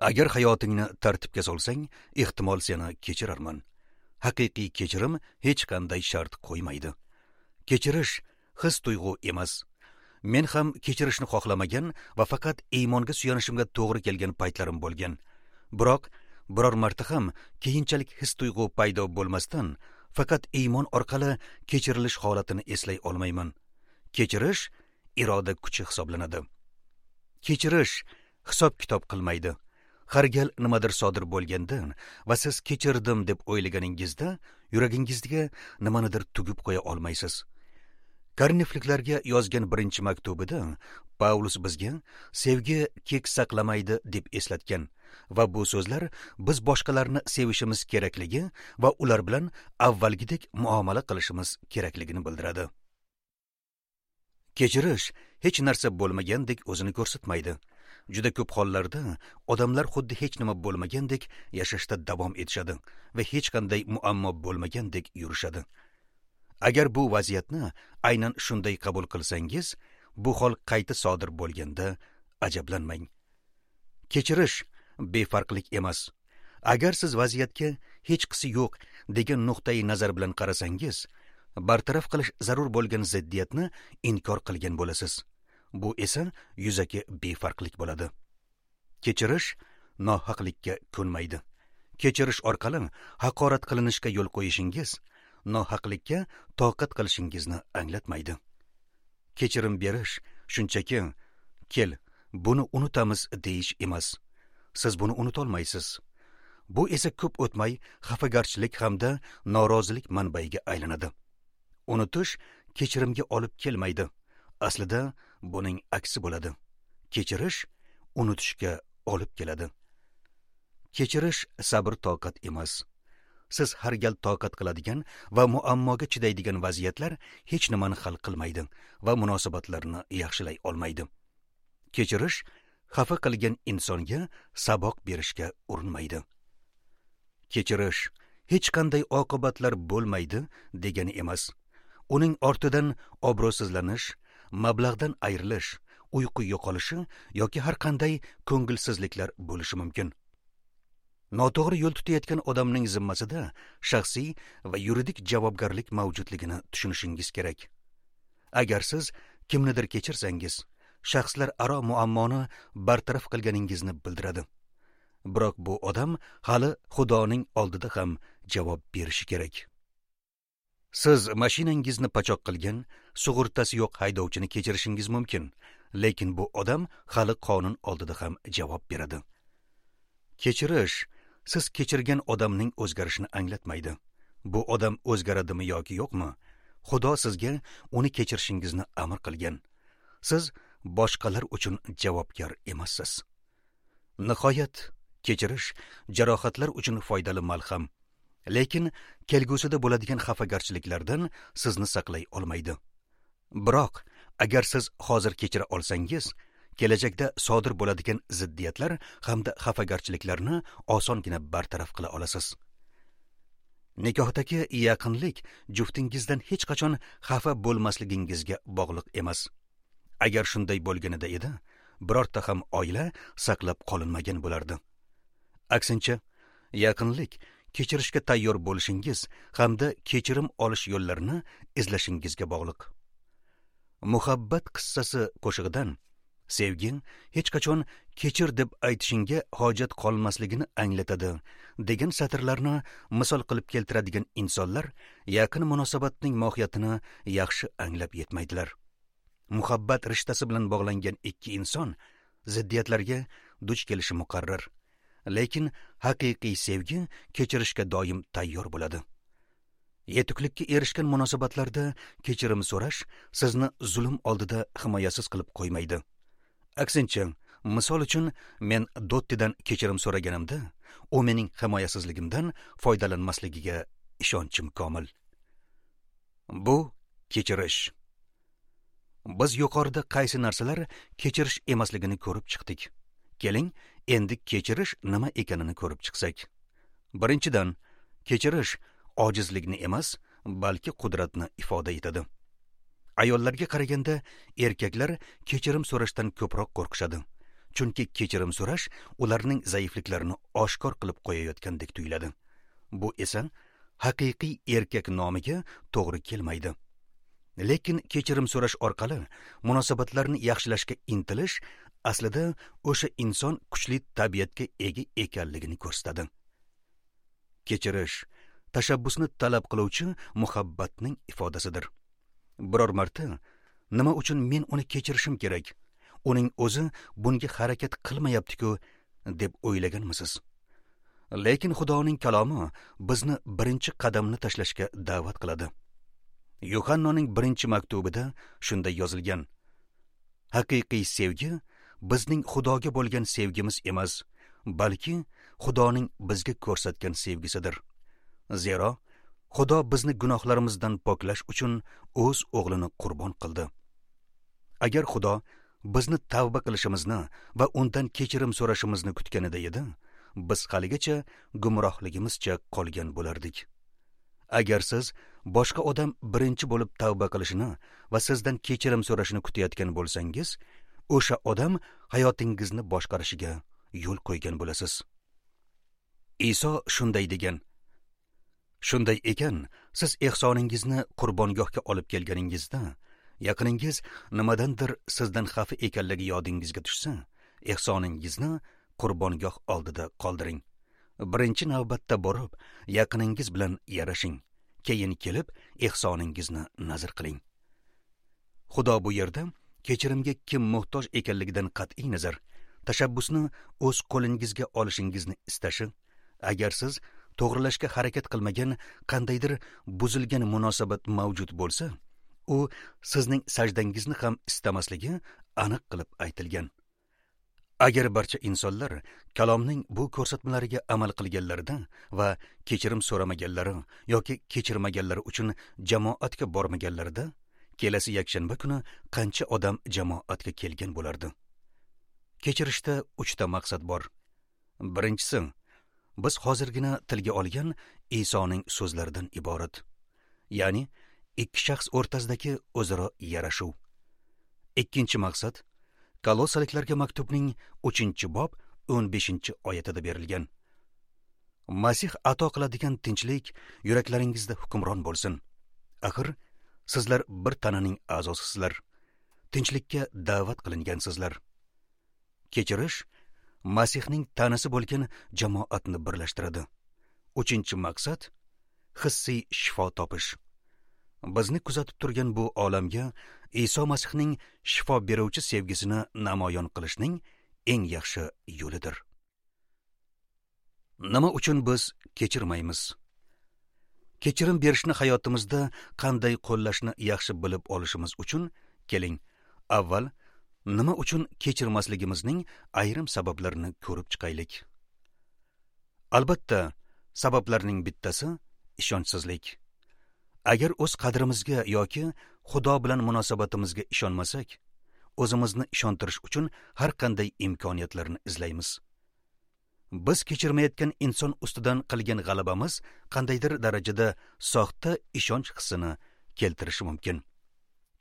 Agar hayotingni tartibga solsang, ehtimol seni kechirarman. Haqiqiy kechirim hech qanday shart qo'ymaydi. Kechirish his tuyg'u emas. Men ham kechirishni xohlamagan va faqat iymonga suyanishimga to'g'ri kelgan paytlarim bo'lgan. Biroq biror marta ham keyinchalik his tuyg'u paydo bo'lmasdan faqat iymon orqali kechirilish holatini eslay olmayman. Kechirish iroda kuchi hisoblanadi. Kechirish hisob-kitob qilmaydi. Har gal nimadir sodir bo'lganda va siz kechirdim deb o'ylaganingizda yuragingizga nimanidir tugib qo'ya olmaysiz. Korinfliklarga yozgan birinchi maktubida Pavlus bizga sevgi kek saqlamaydi deb eslatgan va bu so'zlar biz boshqalarni sevishimiz kerakligi va ular bilan avvalgidek muomala qilishimiz kerakligini bildiradi. Kechirish hech narsa bo'lmagandek o'zini ko'rsatmaydi. Juda ko'p hollarda odamlar xuddi hech nima bo'lmagandek yashashda davom etishadi va hech qanday muammo bo'lmagandek yurishadi. Agar bu vaziyatni aynan shunday qabul qilsangiz, bu hol qayta sodir bo'lganda ajablanmang. Kechirish befarqlik emas. Agar siz vaziyatga hechqisi yo'q degan nuqtai nazar bilan qarasangiz, bartaraf qilish zarur bo'lgan ziddiyatni inkor qilgan bo'lasiz. Bu esa yuzaki befarqlik bo'ladi. Kechirish nohaqlikka ko'nmaydi. Kechirish orqali haqorat qilinishga yo'l qo'yishingiz nohaqlikka toqat qilishingizni anglatmaydi. Kechirim berish shunchaki kel, buni unutamiz deyish emas. Siz buni unutolmaysiz. Bu esa ko'p o'tmay xafagarchilik hamda norozilik manbaiga aylanadi. Unutish kechirimga olib kelmaydi. Aslida buning aksi bo'ladi. Kechirish unutishga olib keladi. Kechirish sabr toqat emas. Siz har gal toqat qiladigan va muammoga chidaydigan vaziyatlar hech nimani hal qilmaydi va munosabatlarni yaxshilay olmaydi. Kechirish xafa qilgan insonga saboq berishga urinmaydi. Kechirish hech qanday oqibatlar bo'lmaydi degani emas. Uning ortidan obro'sizlanish, mablag'dan ayrilish, uyqu yo'qolishi yoki har qanday ko'ngilsizliklar bo'lishi mumkin. Noto'g'ri yo'l tutayotgan odamning zimmasida shaxsiy va yuridik javobgarlik mavjudligini tushunishingiz kerak. Agar siz kimnidir kechirsangiz, shaxslar aro muammoni bartaraf qilganingizni bildiradi. Biroq bu odam hali Xudoning oldida ham javob berishi kerak. Siz mashinangizni pachoq qilgan, sug'urtasi yo'q haydovchini kechirishingiz mumkin, lekin bu odam hali qonun oldida ham javob beradi. Kechirish siz kechirgan odamning o'zgarishini anglatmaydi. Bu odam o'zgaradimi yoki yo'qmi, Xudo sizga uni kechirishingizni amr qilgan. Siz boshqalar uchun javobgar emassiz. Nihoyat, kechirish jarohatlar uchun foydali malham, lekin kelgusida bo'ladigan xafagarchiliklardan sizni saqlay olmaydi. Biroq, agar siz hozir kechira olsangiz, kelajakda sodir bo'ladigan ziddiyatlar hamda xafagarchiliklarni osongina bartaraf qila olasiz. Nikohdagi yaqinlik juftingizdan hech qachon xafa bo'lmasligingizga bog'liq emas. Agar shunday bo'lganida edi, birorta ham oila saqlab qolinmagan bo'lardi. Aksincha, yaqinlik kechirishga tayyor bo'lishingiz hamda kechirim olish yo'llarini izlashingizga bog'liq. Muhabbat qissasi qo'shig'idan sevging hech qachon kechir deb aytishingga hojat qolmasligini anglatadi degan satrlarni misol qilib keltiradigan insonlar yaqin munosabatning mohiyatini yaxshi anglab yetmaydilar. Muhabbat rishtasi bilan bog'langan ikki inson ziddiyatlarga duch kelishi muqarrar. Lekin haqiqiy sevgi kechirishga doim tayyor bo'ladi. Yetuklikka erishgan munosabatlarda kechirim so'rash sizni zulm oldida himoyasiz qilib qo'ymaydi. Aksincha, misol uchun men Dottidan kechirim so'raganimda, u mening himoyasizligimdan foydalanmasligiga ishonchim komil. Bu kechirish. Biz yuqorida qaysi narsalar kechirish emasligini ko'rib chiqdik. Keling, endi kechirish nima ekanini ko'rib chiqsak. Birinchidan, kechirish ojizlikni emas, balki qudratni ifoda etadi. Ayollarga qaraganda erkaklar kechirim so'rashdan ko'proq qo'rqishadi. Chunki kechirim so'rash ularning zaifliklarini oshkor qilib qo'yayotgandek tuyuladi. Bu esa haqiqiy erkak nomiga to'g'ri kelmaydi. Lekin kechirim so'rash orqali munosabatlarni yaxshilashga intilish aslida o'sha inson kuchli tabiatga ega ekanligini ko'rsatadi. Kechirish tashabbusni talab qiluvchi muhabbatning ifodasidir. Biror marta nima uchun men uni kechirishim kerak? Uning o'zi bunga harakat qilmayapti-ku deb o'ylaganmisiz? Lekin Xudoning kalomi bizni birinchi qadamni tashlashga da'vat qiladi. Yuhannoning birinchi maktubida shunday yozilgan: Haqiqiy sevgi bizning Xudoga bo'lgan sevgimiz emas, balki Xudoning bizga ko'rsatgan sevgisidir. Zero Xudo bizni gunohlarimizdan poklash uchun o'z o'g'lini qurbon qildi. Agar Xudo bizni tavba qilishimizni va undan kechirim so'rashimizni kutganida edi, biz haligacha gumrohligimizcha qolgan bo'lardik. Agar siz boshqa odam birinchi bo'lib tavba qilishini va sizdan kechirim so'rashini kutayotgan bo'lsangiz, o'sha odam hayotingizni boshqarishiga yo'l qo'ygan bo'lasiz. Iso shunday degan: Shunday ekan, siz ehsoningizni qurbongohga olib kelganingizda, yaqiningiz nimadandir sizdan xafa ekanligi yodingizga tushsa, ehsoningizni qurbongoh oldida qoldiring. Birinchi navbatda borib, yaqiningiz bilan yarashing. Keyin kelib ehsoningizni nazr qiling. Xudo bu yerda kechirimga kim muhtoj ekanligidan qat'iy nazar, tashabbusni o'z qo'lingizga olishingizni istashi, agar siz to'g'rilashga harakat qilmagan qandaydir buzilgan munosabat mavjud bo'lsa, u sizning sajdangizni ham istamasligi aniq qilib aytilgan. Agar barcha insonlar kalomning bu ko'rsatmalariga amal qilganlarida va kechirim so'ramaganlari yoki kechirmaganlari uchun jamoatga bormaganlarida, kelasi yakshanba kuni qancha odam jamoatga kelgan bo'lardi? Kechirishda 3 ta maqsad bor. Birinchisi, biz hozirgina tilga olgan Isoning so'zlaridan iborat. Ya'ni ikki shaxs o'rtasidagi o'zaro yarashuv. Ikkinchi maqsad Kolossaliklarga maktubning 3-bob 15-oyatida berilgan. Masih ato qiladigan tinchlik yuraklaringizda hukmron bo'lsin. Axir sizlar bir tananing a'zosisizlar. Tinchlikka da'vat qilingansizlar. Kechirish Masihning tanasi bo'lgan jamoatni birlashtiradi. Uchinchi maqsad hissiy shifo topish. Bizni kuzatib turgan bu olamga Iso Masihning shifo beruvchi sevgisini namoyon qilishning eng yaxshi yo'lidir. Nima uchun biz kechirmaymiz? Kechirim berishni hayotimizda qanday qo'llashni yaxshi bilib olishimiz uchun keling, avval nima uchun kechirmasligimizning ayrim sabablarini ko'rib chiqaylik. Albatta, sabablarning bittasi ishonchsizlik. Agar o'z qadrimizga yoki Xudo bilan munosabatimizga ishonmasak, o'zimizni ishontirish uchun har qanday imkoniyatlarni izlaymiz. Biz kechirmayotgan inson ustidan qilgan g'alabamiz qandaydir darajada soxta ishonch hissini keltirishi mumkin.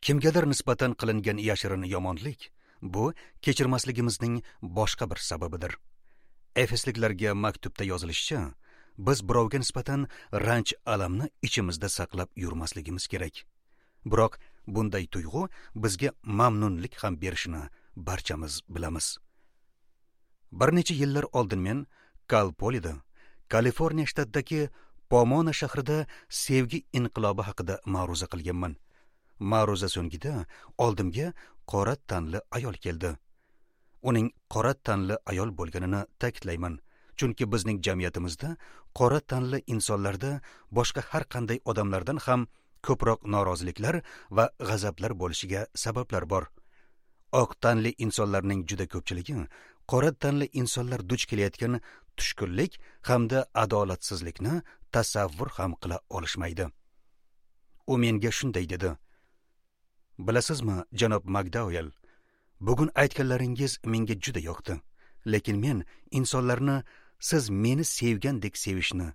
Kimgadir nisbatan qilingan yashirin yomonlik bu kechirmasligimizning boshqa bir sababidir. Efesliklarga maktubda yozilishicha, biz birovga nisbatan ranj alamni ichimizda saqlab yurmasligimiz kerak. Biroq bunday tuyg'u bizga mamnunlik ham berishini barchamiz bilamiz. Bir necha yillar oldin men Kalpolida, Kaliforniya shtatidagi Pomona shahrida sevgi inqilobi haqida ma'ruza qilganman. Ma'ruza so'ngida oldimga qora tanli ayol keldi. Uning qora tanli ayol bo'lganini ta'kidlayman, chunki bizning jamiyatimizda qora tanli insonlarda boshqa har qanday odamlardan ham ko'proq noroziliklar va g'azablar bo'lishiga sabablar bor. Oq tanli insonlarning juda ko'pchiligi qora tanli insonlar duch kelayotgan tushkunlik hamda adolatsizlikni tasavvur ham qila olishmaydi. U menga shunday dedi: "Bilasizmi, janob McDowell, bugun aytganlaringiz menga juda yoqdi, lekin men insonlarni siz meni sevgandek sevishni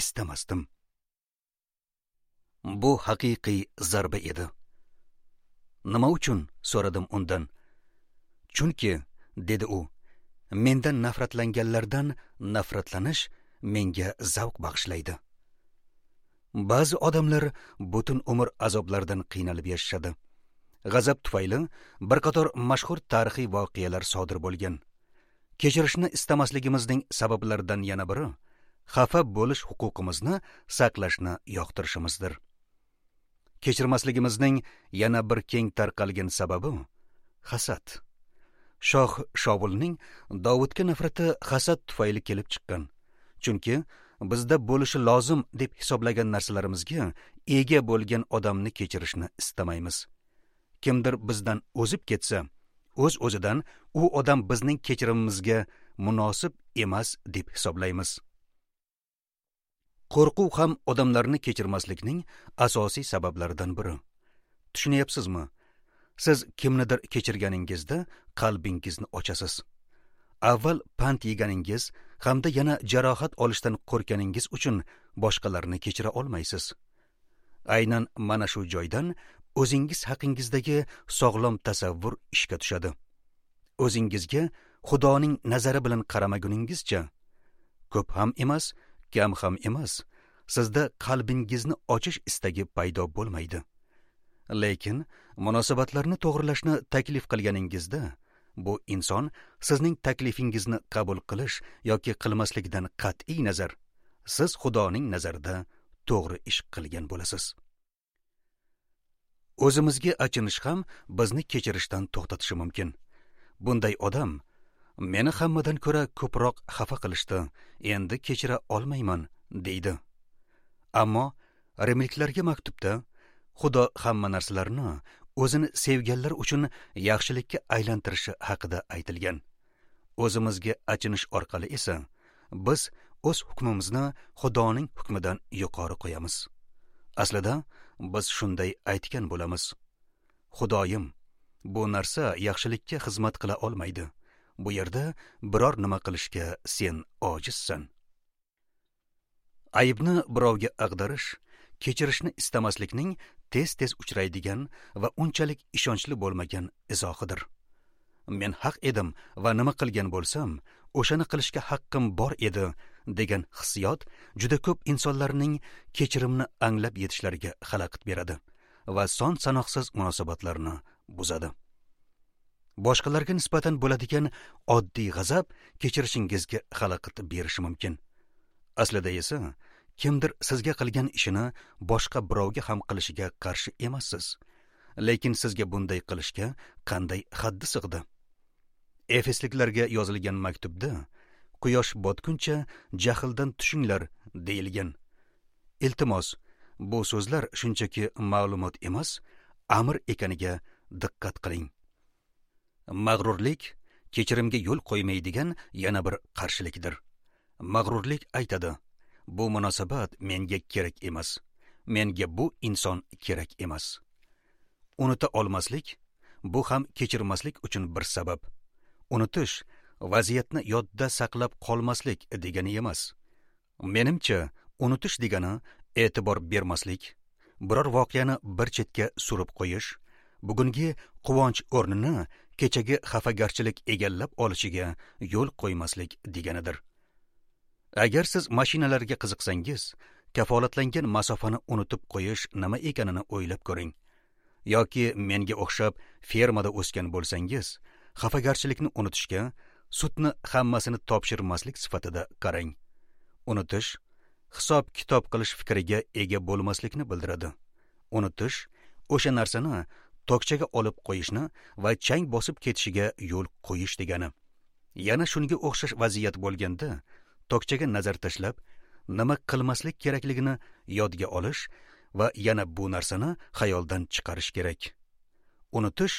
istamasdim." Bu haqiqiy zarba edi. Nima uchun? So'radim undan. Chunki, dedi u, mendan nafratlanganlardan nafratlanish menga zavq bag'ishlaydi. Ba'zi odamlar butun umr azoblardan qiynalib yashashadi. G'azab tufayli bir qator mashhur tarixiy voqealar sodir bo'lgan. Kechirishni istamasligimizning sabablaridan yana biri xafa bo'lish huquqimizni saqlashni yoqtirishimizdir. Kechirmasligimizning yana bir keng tarqalgan sababi hasad. Shoh Shovulning Dovudga nafrati hasad tufayli kelib chiqqan. Chunki bizda bo'lishi lozim deb hisoblagan narsalarimizga ega bo'lgan odamni kechirishni istamaymiz. Kimdir bizdan o'zib ketsa, o'z-o'zidan u odam bizning kechirimimizga munosib emas deb hisoblaymiz. Qo'rquv ham odamlarni kechirmaslikning asosiy sabablaridan biri. Tushunyapsizmi? Siz kimnidir kechirganingizda qalbingizni ochasiz. Avval pand yeganingiz hamda yana jarohat olishdan qo'rqganingiz uchun boshqalarni kechira olmaysiz. Aynan mana shu joydan o'zingiz haqingizdagi sog'lom tasavvur ishga tushadi. O'zingizga Xudoning nazari bilan qaramaguningizcha, ko'p ham emas, kam ham emas, sizda qalbingizni ochish istagi paydo bo'lmaydi. Lekin munosabatlarni to'g'rilashni taklif qilganingizda, bu inson sizning taklifingizni qabul qilish yoki qilmaslikdan qat'iy nazar, siz Xudoning nazarida to'g'ri ish qilgan bo'lasiz. O'zimizga achinish ham bizni kechirishdan to'xtatishi mumkin. Bunday odam meni hammadan ko'ra ko'proq xafa qilishdi, endi kechira olmayman, deydi. Ammo rimliklarga maktubda Xudo hamma narsalarni o'zini sevganlar uchun yaxshilikka aylantirishi haqida aytilgan. O'zimizga achinish orqali esa biz o'z hukmimizni Xudoning hukmidan yuqori qo'yamiz. Aslida biz shunday aytgan bo'lamiz: Xudoyim, bu narsa yaxshilikka xizmat qila olmaydi. Bu yerda biror nima qilishga sen ojizsan. Aybni birovga ag'darish kechirishni istamaslikning tez-tez uchraydigan va unchalik ishonchli bo'lmagan izohidir. Men haq edim va nima qilgan bo'lsam, o'shani qilishga haqqim bor edi degan hissiyot juda ko'p insonlarning kechirimni anglab yetishlariga xalaqit beradi va son sanoqsiz munosabatlarni buzadi. Boshqalarga nisbatan bo'ladigan oddiy g'azab kechirishingizga xalaqit berishi mumkin. Aslida esa kimdir sizga qilgan ishini boshqa birovga ham qilishiga qarshi emassiz. Lekin sizga bunday qilishga qanday haddi sig'di? Efesliklarga yozilgan maktubda quyosh botguncha jahldan tushinglar deyilgan. Iltimos, bu so'zlar shunchaki ma'lumot emas, amr ekaniga diqqat qiling. Mag'rurlik kechirimga yo'l qo'ymaydigan yana bir qarshilikdir. Mag'rurlik aytadi: bu munosabat menga kerak emas. Menga bu inson kerak emas. Unuta olmaslik bu ham kechirmaslik uchun bir sabab. Unutish vaziyatni yodda saqlab qolmaslik degani emas. Menimcha, unutish degani e'tibor bermaslik, biror voqeani bir chetga surib qo'yish, bugungi quvonch o'rnini kechagi xafagarchilik egallab olishiga yo'l qo'ymaslik deganidir. Agar siz mashinalarga qiziqsangiz, kafolatlangan masofani unutib qo'yish nima ekanini o'ylab ko'ring. Yoki menga o'xshab fermada o'sgan bo'lsangiz, xafagarchilikni unutishga sutni hammasini topshirmaslik sifatida qarang. Unutish hisob kitob qilish fikriga ega bo'lmaslikni bildiradi. Unutish o'sha narsani tokchaga olib qo'yishni va chang bosib ketishiga yo'l qo'yish degani. Yana shunga o'xshash vaziyat bo'lganda, tokchaga nazar tashlab, nima qilmaslik kerakligini yodga olish va yana bu narsani xayoldan chiqarish kerak. Unutish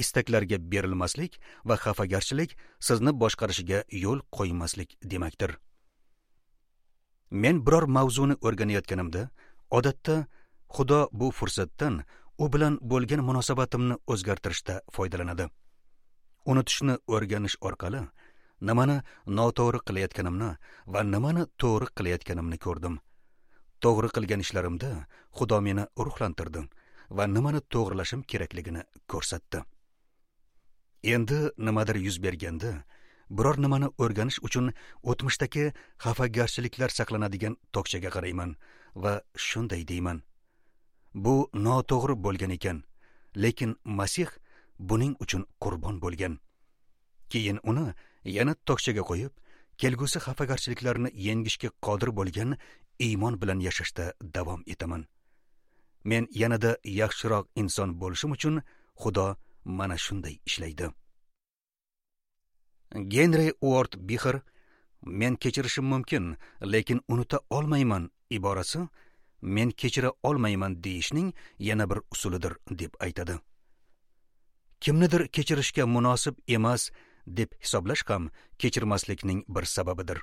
istaklarga berilmaslik va xafagarchilik sizni boshqarishiga yo'l qo'ymaslik demakdir. Men biror mavzuni o'rganayotganimda, odatda Xudo bu fursatdan u bilan bo'lgan munosabatimni o'zgartirishda foydalanadi. Unutishni o'rganish orqali nimani noto'g'ri qilayotganimni va nimani to'g'ri qilayotganimni ko'rdim. To'g'ri qilgan ishlarimda Xudo meni ruhlantirdi va nimani to'g'rilashim kerakligini ko'rsatdi. Endi nimadir yuz berganda, biror nimani o'rganish uchun o'tmishdagi xafagarchiliklar saqlanadigan tokchaga qarayman va shunday deyman: bu noto'g'ri bo'lgan ekan, lekin Masih buning uchun qurbon bo'lgan. Keyin uni yana tokchaga qo'yib, kelgusi xafagarchiliklarni yengishga qodir bo'lgan iymon bilan yashashda davom etaman. Men yanada yaxshiroq inson bo'lishim uchun Xudo mana shunday ishlaydi. Genri Uord Bixer "Men kechirishim mumkin, lekin unuta olmayman" iborasi men kechira olmayman deyishning yana bir usulidir deb aytadi. Kimnidir kechirishga munosib emas deb hisoblash ham kechirmaslikning bir sababidir.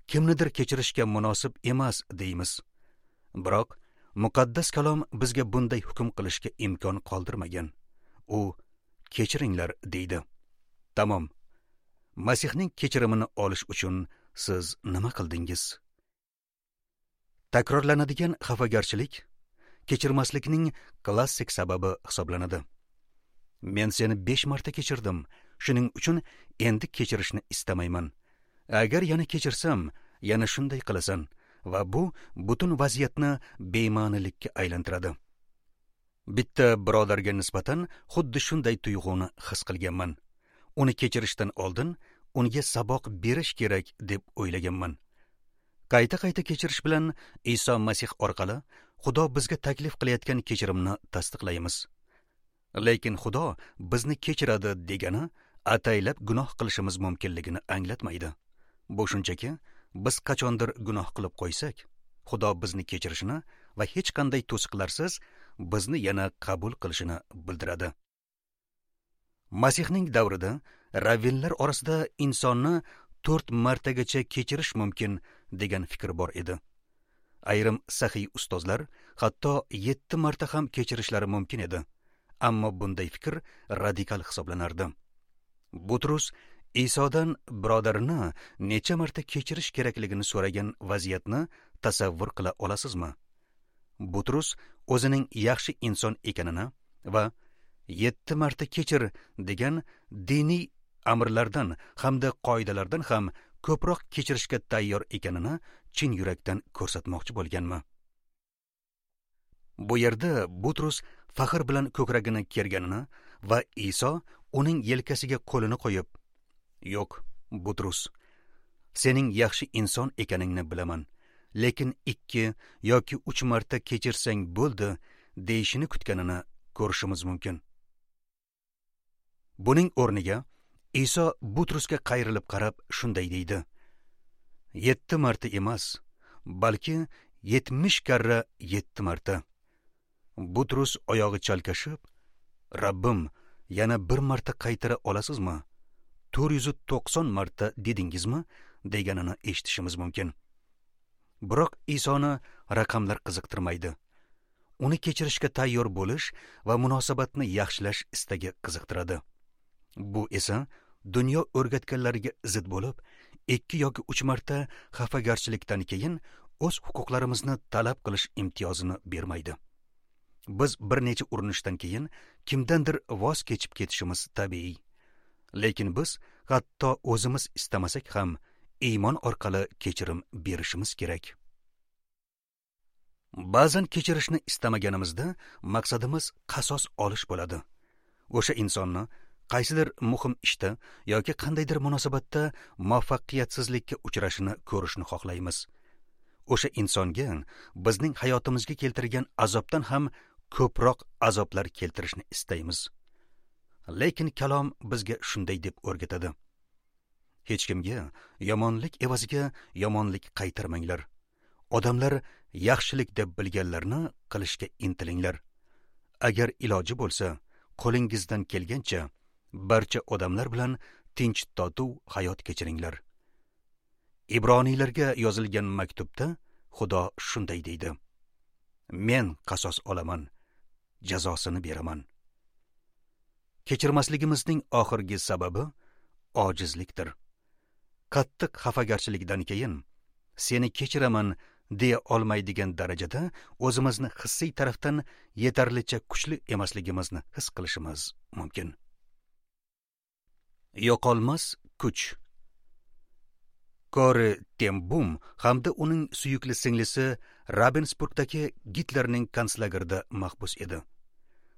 Kimnidir kechirishga munosib emas deymiz. Biroq muqaddas kalom bizga bunday hukm qilishga imkon qoldirmagan. U kechiringlar deydi. Tamom. Masihning kechirimini olish uchun siz nima qildingiz? Takrorlanadigan xafagarchilik kechirmaslikning klassik sababi hisoblanadi. Men seni 5 marta kechirdim, shuning uchun endi kechirishni istamayman. Agar yana kechirsam, yana shunday qilasan va bu butun vaziyatni bema'nilikka aylantiradi. Bitta birodarga nisbatan xuddi shunday tuyg'uni his qilganman. Uni kechirishdan oldin unga saboq berish kerak deb o'ylaganman. Qayta-qayta kechirish bilan Iso Masih orqali Xudo bizga taklif qilayotgan kechirimni tasdiqlaymiz. Lekin Xudo bizni kechiradi degani ataylab gunoh qilishimiz mumkinligini anglatmaydi. Bu shunchaki biz qachondir gunoh qilib qo'ysak, Xudo bizni kechirishini va hech qanday to'siqlarsiz bizni yana qabul qilishini bildiradi. Masihning davrida ravvinlar orasida insonni 4 martagacha kechirish mumkin degan fikr bor edi. Ayrim sahiy ustozlar hatto 7 marta ham kechirishlari mumkin edi. Ammo bunday fikr radikal hisoblanardi. Butrus Isodan birodarini necha marta kechirish kerakligini so'ragan vaziyatni tasavvur qila olasizmi? Butrus o'zining yaxshi inson ekanini va 7 marta kechir degan diniy amrlardan hamda qoidalardan ham ko'proq kechirishga tayyor ekanini chin yurakdan ko'rsatmoqchi bo'lganmi? Bu yerda Butrus faxr bilan ko'kragini kerganini va Iso uning yelkasiga qo'lini qo'yib, "Yo'q, Butrus, sening yaxshi inson ekaningni bilaman, lekin 2 yoki 3 marta kechirsang bo'ldi" deyishini kutganini ko'rishimiz mumkin. Buning o'rniga Iso Butrusga qayrilib qarab shunday deydi: 7 marta emas, balki 70 karra 7 marta. Butrus oyog'i chalkashib, "Rabbim, yana bir marta qaytara olasizmi? 490 marta dedingizmi?" deganini eshitishimiz mumkin. Biroq Isoni raqamlar qiziqtirmaydi. Uni kechirishga tayyor bo'lish va munosabatni yaxshilash istagi qiziqtiradi. Bu esa dunyo o'rgatganlariga zid bo'lib, 2 yoki 3 marta xafagarchilikdan keyin o'z huquqlarimizni talab qilish imtiyozini bermaydi. Biz bir necha urinishdan keyin kimdandir voz kechib ketishimiz tabiiy. Lekin biz hatto o'zimiz istamasak ham iymon orqali kechirim berishimiz kerak. Ba'zan kechirishni istamaganimizda maqsadimiz qasos olish bo'ladi. O'sha insonni qaysidir muhim ishda yoki qandaydir munosabatda muvaffaqiyatsizlikka uchrashini ko'rishni xohlaymiz. O'sha insonga bizning hayotimizga keltirgan azobdan ham ko'proq azoblar keltirishni istaymiz. Lekin kalom bizga shunday deb o'rgatadi: hech kimga yomonlik evaziga yomonlik qaytarmanglar. Odamlar yaxshilik deb bilganlarni qilishga intilinglar. Agar iloji bo'lsa, qo'lingizdan kelgancha barcha odamlar bilan tinch totuv hayot kechiringlar. Ibroniylarga yozilgan maktubda Xudo shunday deydi: Men qasos olaman, jazosini beraman. Kechirmasligimizning oxirgi sababi ojizlikdir. Qattiq xafagarchilikdan keyin seni kechiraman deya olmaydigan darajada o'zimizni hissiy tarafdan yetarlicha kuchli emasligimizni his qilishimiz mumkin. Yo'qolmas kuch. Kori ten Bum hamda uning suyukli singlisi Ravensburgdagi Gitlerning konslagerida mahbus edi.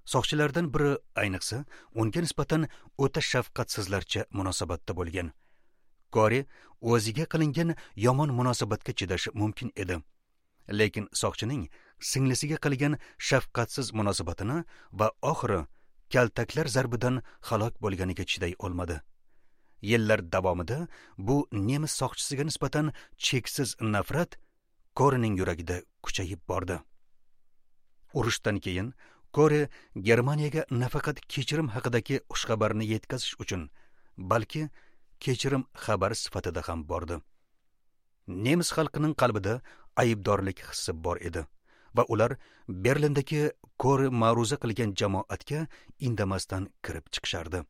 Soqchilardan biri ayniqsa unga nisbatan o'ta shafqatsizlarcha munosabatda bo'lgan. Kori o'ziga qilingan yomon munosabatga chidashi mumkin edi. Lekin soqchining singlisiga qilgan shafqatsiz munosabatini va oxiri kaltaklar zarbidan halok bo'lganiga chiday olmadi. Yillar davomida bu nemis soqchisiga nisbatan cheksiz nafrat Korining yuragida kuchayib bordi. Urushdan keyin Kori Germaniyaga nafaqat kechirim haqidagi xushxabarni yetkazish uchun, balki kechirim xabari sifatida ham bordi. Nemis xalqining qalbida aybdorlik hissi bor edi va ular Berlindagi Kori ma'ruza qilgan jamoatga indamasdan kirib chiqishardi.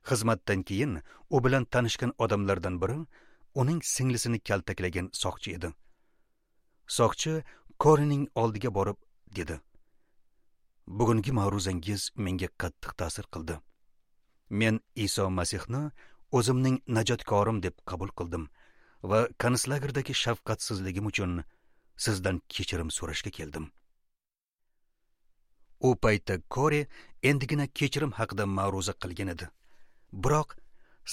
Xizmatdan keyin u bilan tanishgan odamlardan biri uning singlisini kaltaklagan soqchi edi. Soqchi Korining oldiga borib dedi: "Bugungi ma'ruzangiz menga qattiq ta'sir qildi. Men Iso Masihni o'zimning najotkorim deb qabul qildim va konslagerdagi shafqatsizligim uchun sizdan kechirim so'rashga keldim." U paytda Kori endigina kechirim haqida ma'ruza qilgan edi. Biroq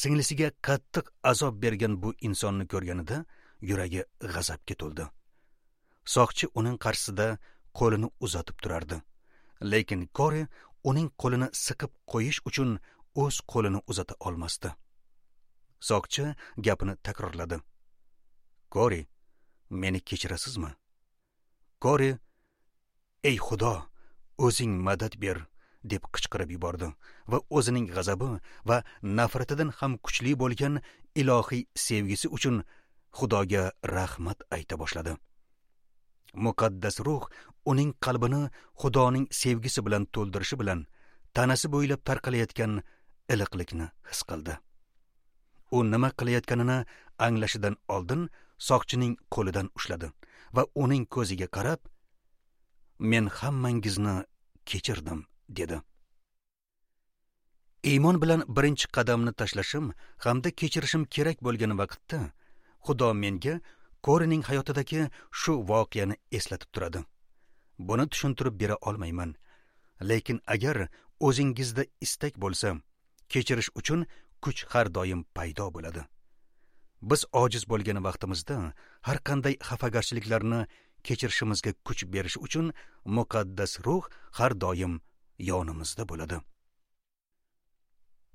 singlisiga qattiq azob bergan bu insonni ko'rganida yuragi g'azabga to'ldi. Soqchi uning qarshisida qo'lini uzatib turardi. Lekin Kori uning qo'lini siqib qo'yish uchun o'z qo'lini uzata olmasdi. Soqchi gapini takrorladi: "Kori, meni kechirasizmi?" Kori: "Ey Xudo, o'zing madad ber" deb qichqirib yubordi va o'zining g'azabi va nafratidan ham kuchli bo'lgan ilohiy sevgisi uchun Xudoga rahmat ayta boshladi. Muqaddas ruh uning qalbini Xudoning sevgisi bilan to'ldirishi bilan tanasi bo'ylab tarqalayotgan iliqlikni his qildi. U nima qilayotganini anglashidan oldin soqchining qo'lidan ushladi va uning ko'ziga qarab, "Men hammangizni kechirdim" dedi. Iymon bilan birinchi qadamni tashlashim hamda kechirishim kerak bo'lgan vaqtda Xudo menga Korining hayotidagi shu voqeani eslatib turadi. Buni tushuntirib bera olmayman. Lekin agar o'zingizda istak bo'lsa, kechirish uchun kuch har doim paydo bo'ladi. Biz ojiz bo'lgan vaqtimizda har qanday xafagarchiliklarni kechirishimizga kuch berish uchun muqaddas ruh har doim yonimizda bo'ladi.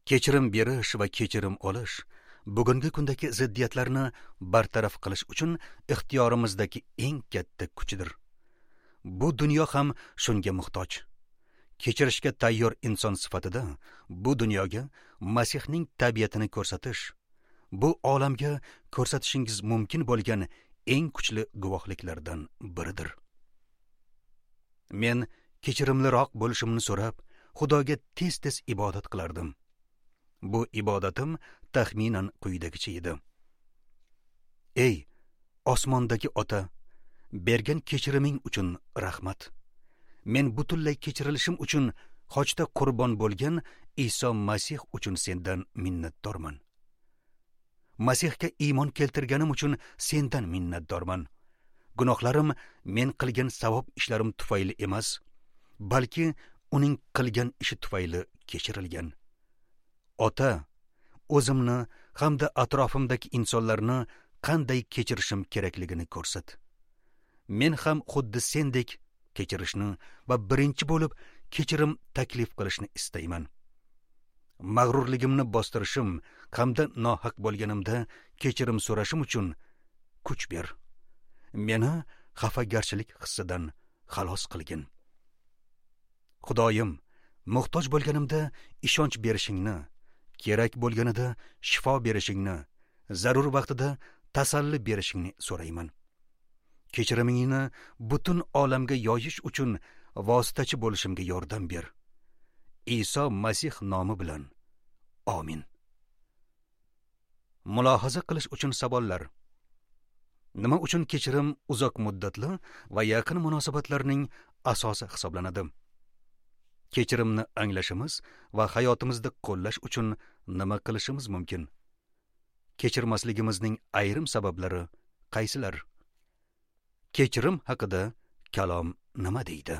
Kechirim berish va kechirim olish bugungi kundagi ziddiyatlarni bartaraf qilish uchun ixtiyorimizdagi eng katta kuchdir. Bu dunyo ham shunga muhtoj. Kechirishga tayyor inson sifatida bu dunyoga Masihning tabiatini ko'rsatish, bu olamga ko'rsatishingiz mumkin bo'lgan eng kuchli guvohliklardan biridir. Men kechirimliroq bo'lishimni so'rab, Xudoga tez-tez ibodat qilardim. Bu ibodatim taxminan quyidagicha edi. Ey osmondagi Ota, bergan kechiriming uchun rahmat. Men butunlay kechirilishim uchun xochda qurbon bo'lgan Iso Masih uchun sendan minnatdorman. Masihga iymon keltirganim uchun sendan minnatdorman. Gunohlarim men qilgan savob ishlarim tufayli emas, balki uning qilgan ishi tufayli kechirilgan. Ota, o'zimni hamda atrofimdagi insonlarni qanday kechirishim kerakligini ko'rsat. Men ham xuddi sendek kechirishni va birinchi bo'lib kechirim taklif qilishni istayman. Mag'rurligimni bostirishim hamda nohaq bo'lganimda kechirim so'rashim uchun kuch ber. Meni xafagarchilik hissidan xalos qilgin. Xudoyim, muhtoj bo'lganimda ishonch berishingni, kerak bo'lganida shifo berishingni, zarur vaqtida tasalli berishingni so'rayman. Kechirimingni butun olamga yoyish uchun vositachi bo'lishimga yordam ber. Iso Masih nomi bilan. Amin. Mulohaza qilish uchun savollar. Nima uchun kechirim uzoq muddatli va yaqin munosabatlarning asosi hisoblanadi? Kechirimni anglashimiz va hayotimizda qo'llash uchun nima qilishimiz mumkin? Kechirmasligimizning ayrim sabablari qaysilar? Kechirim haqida kalom nima deydi?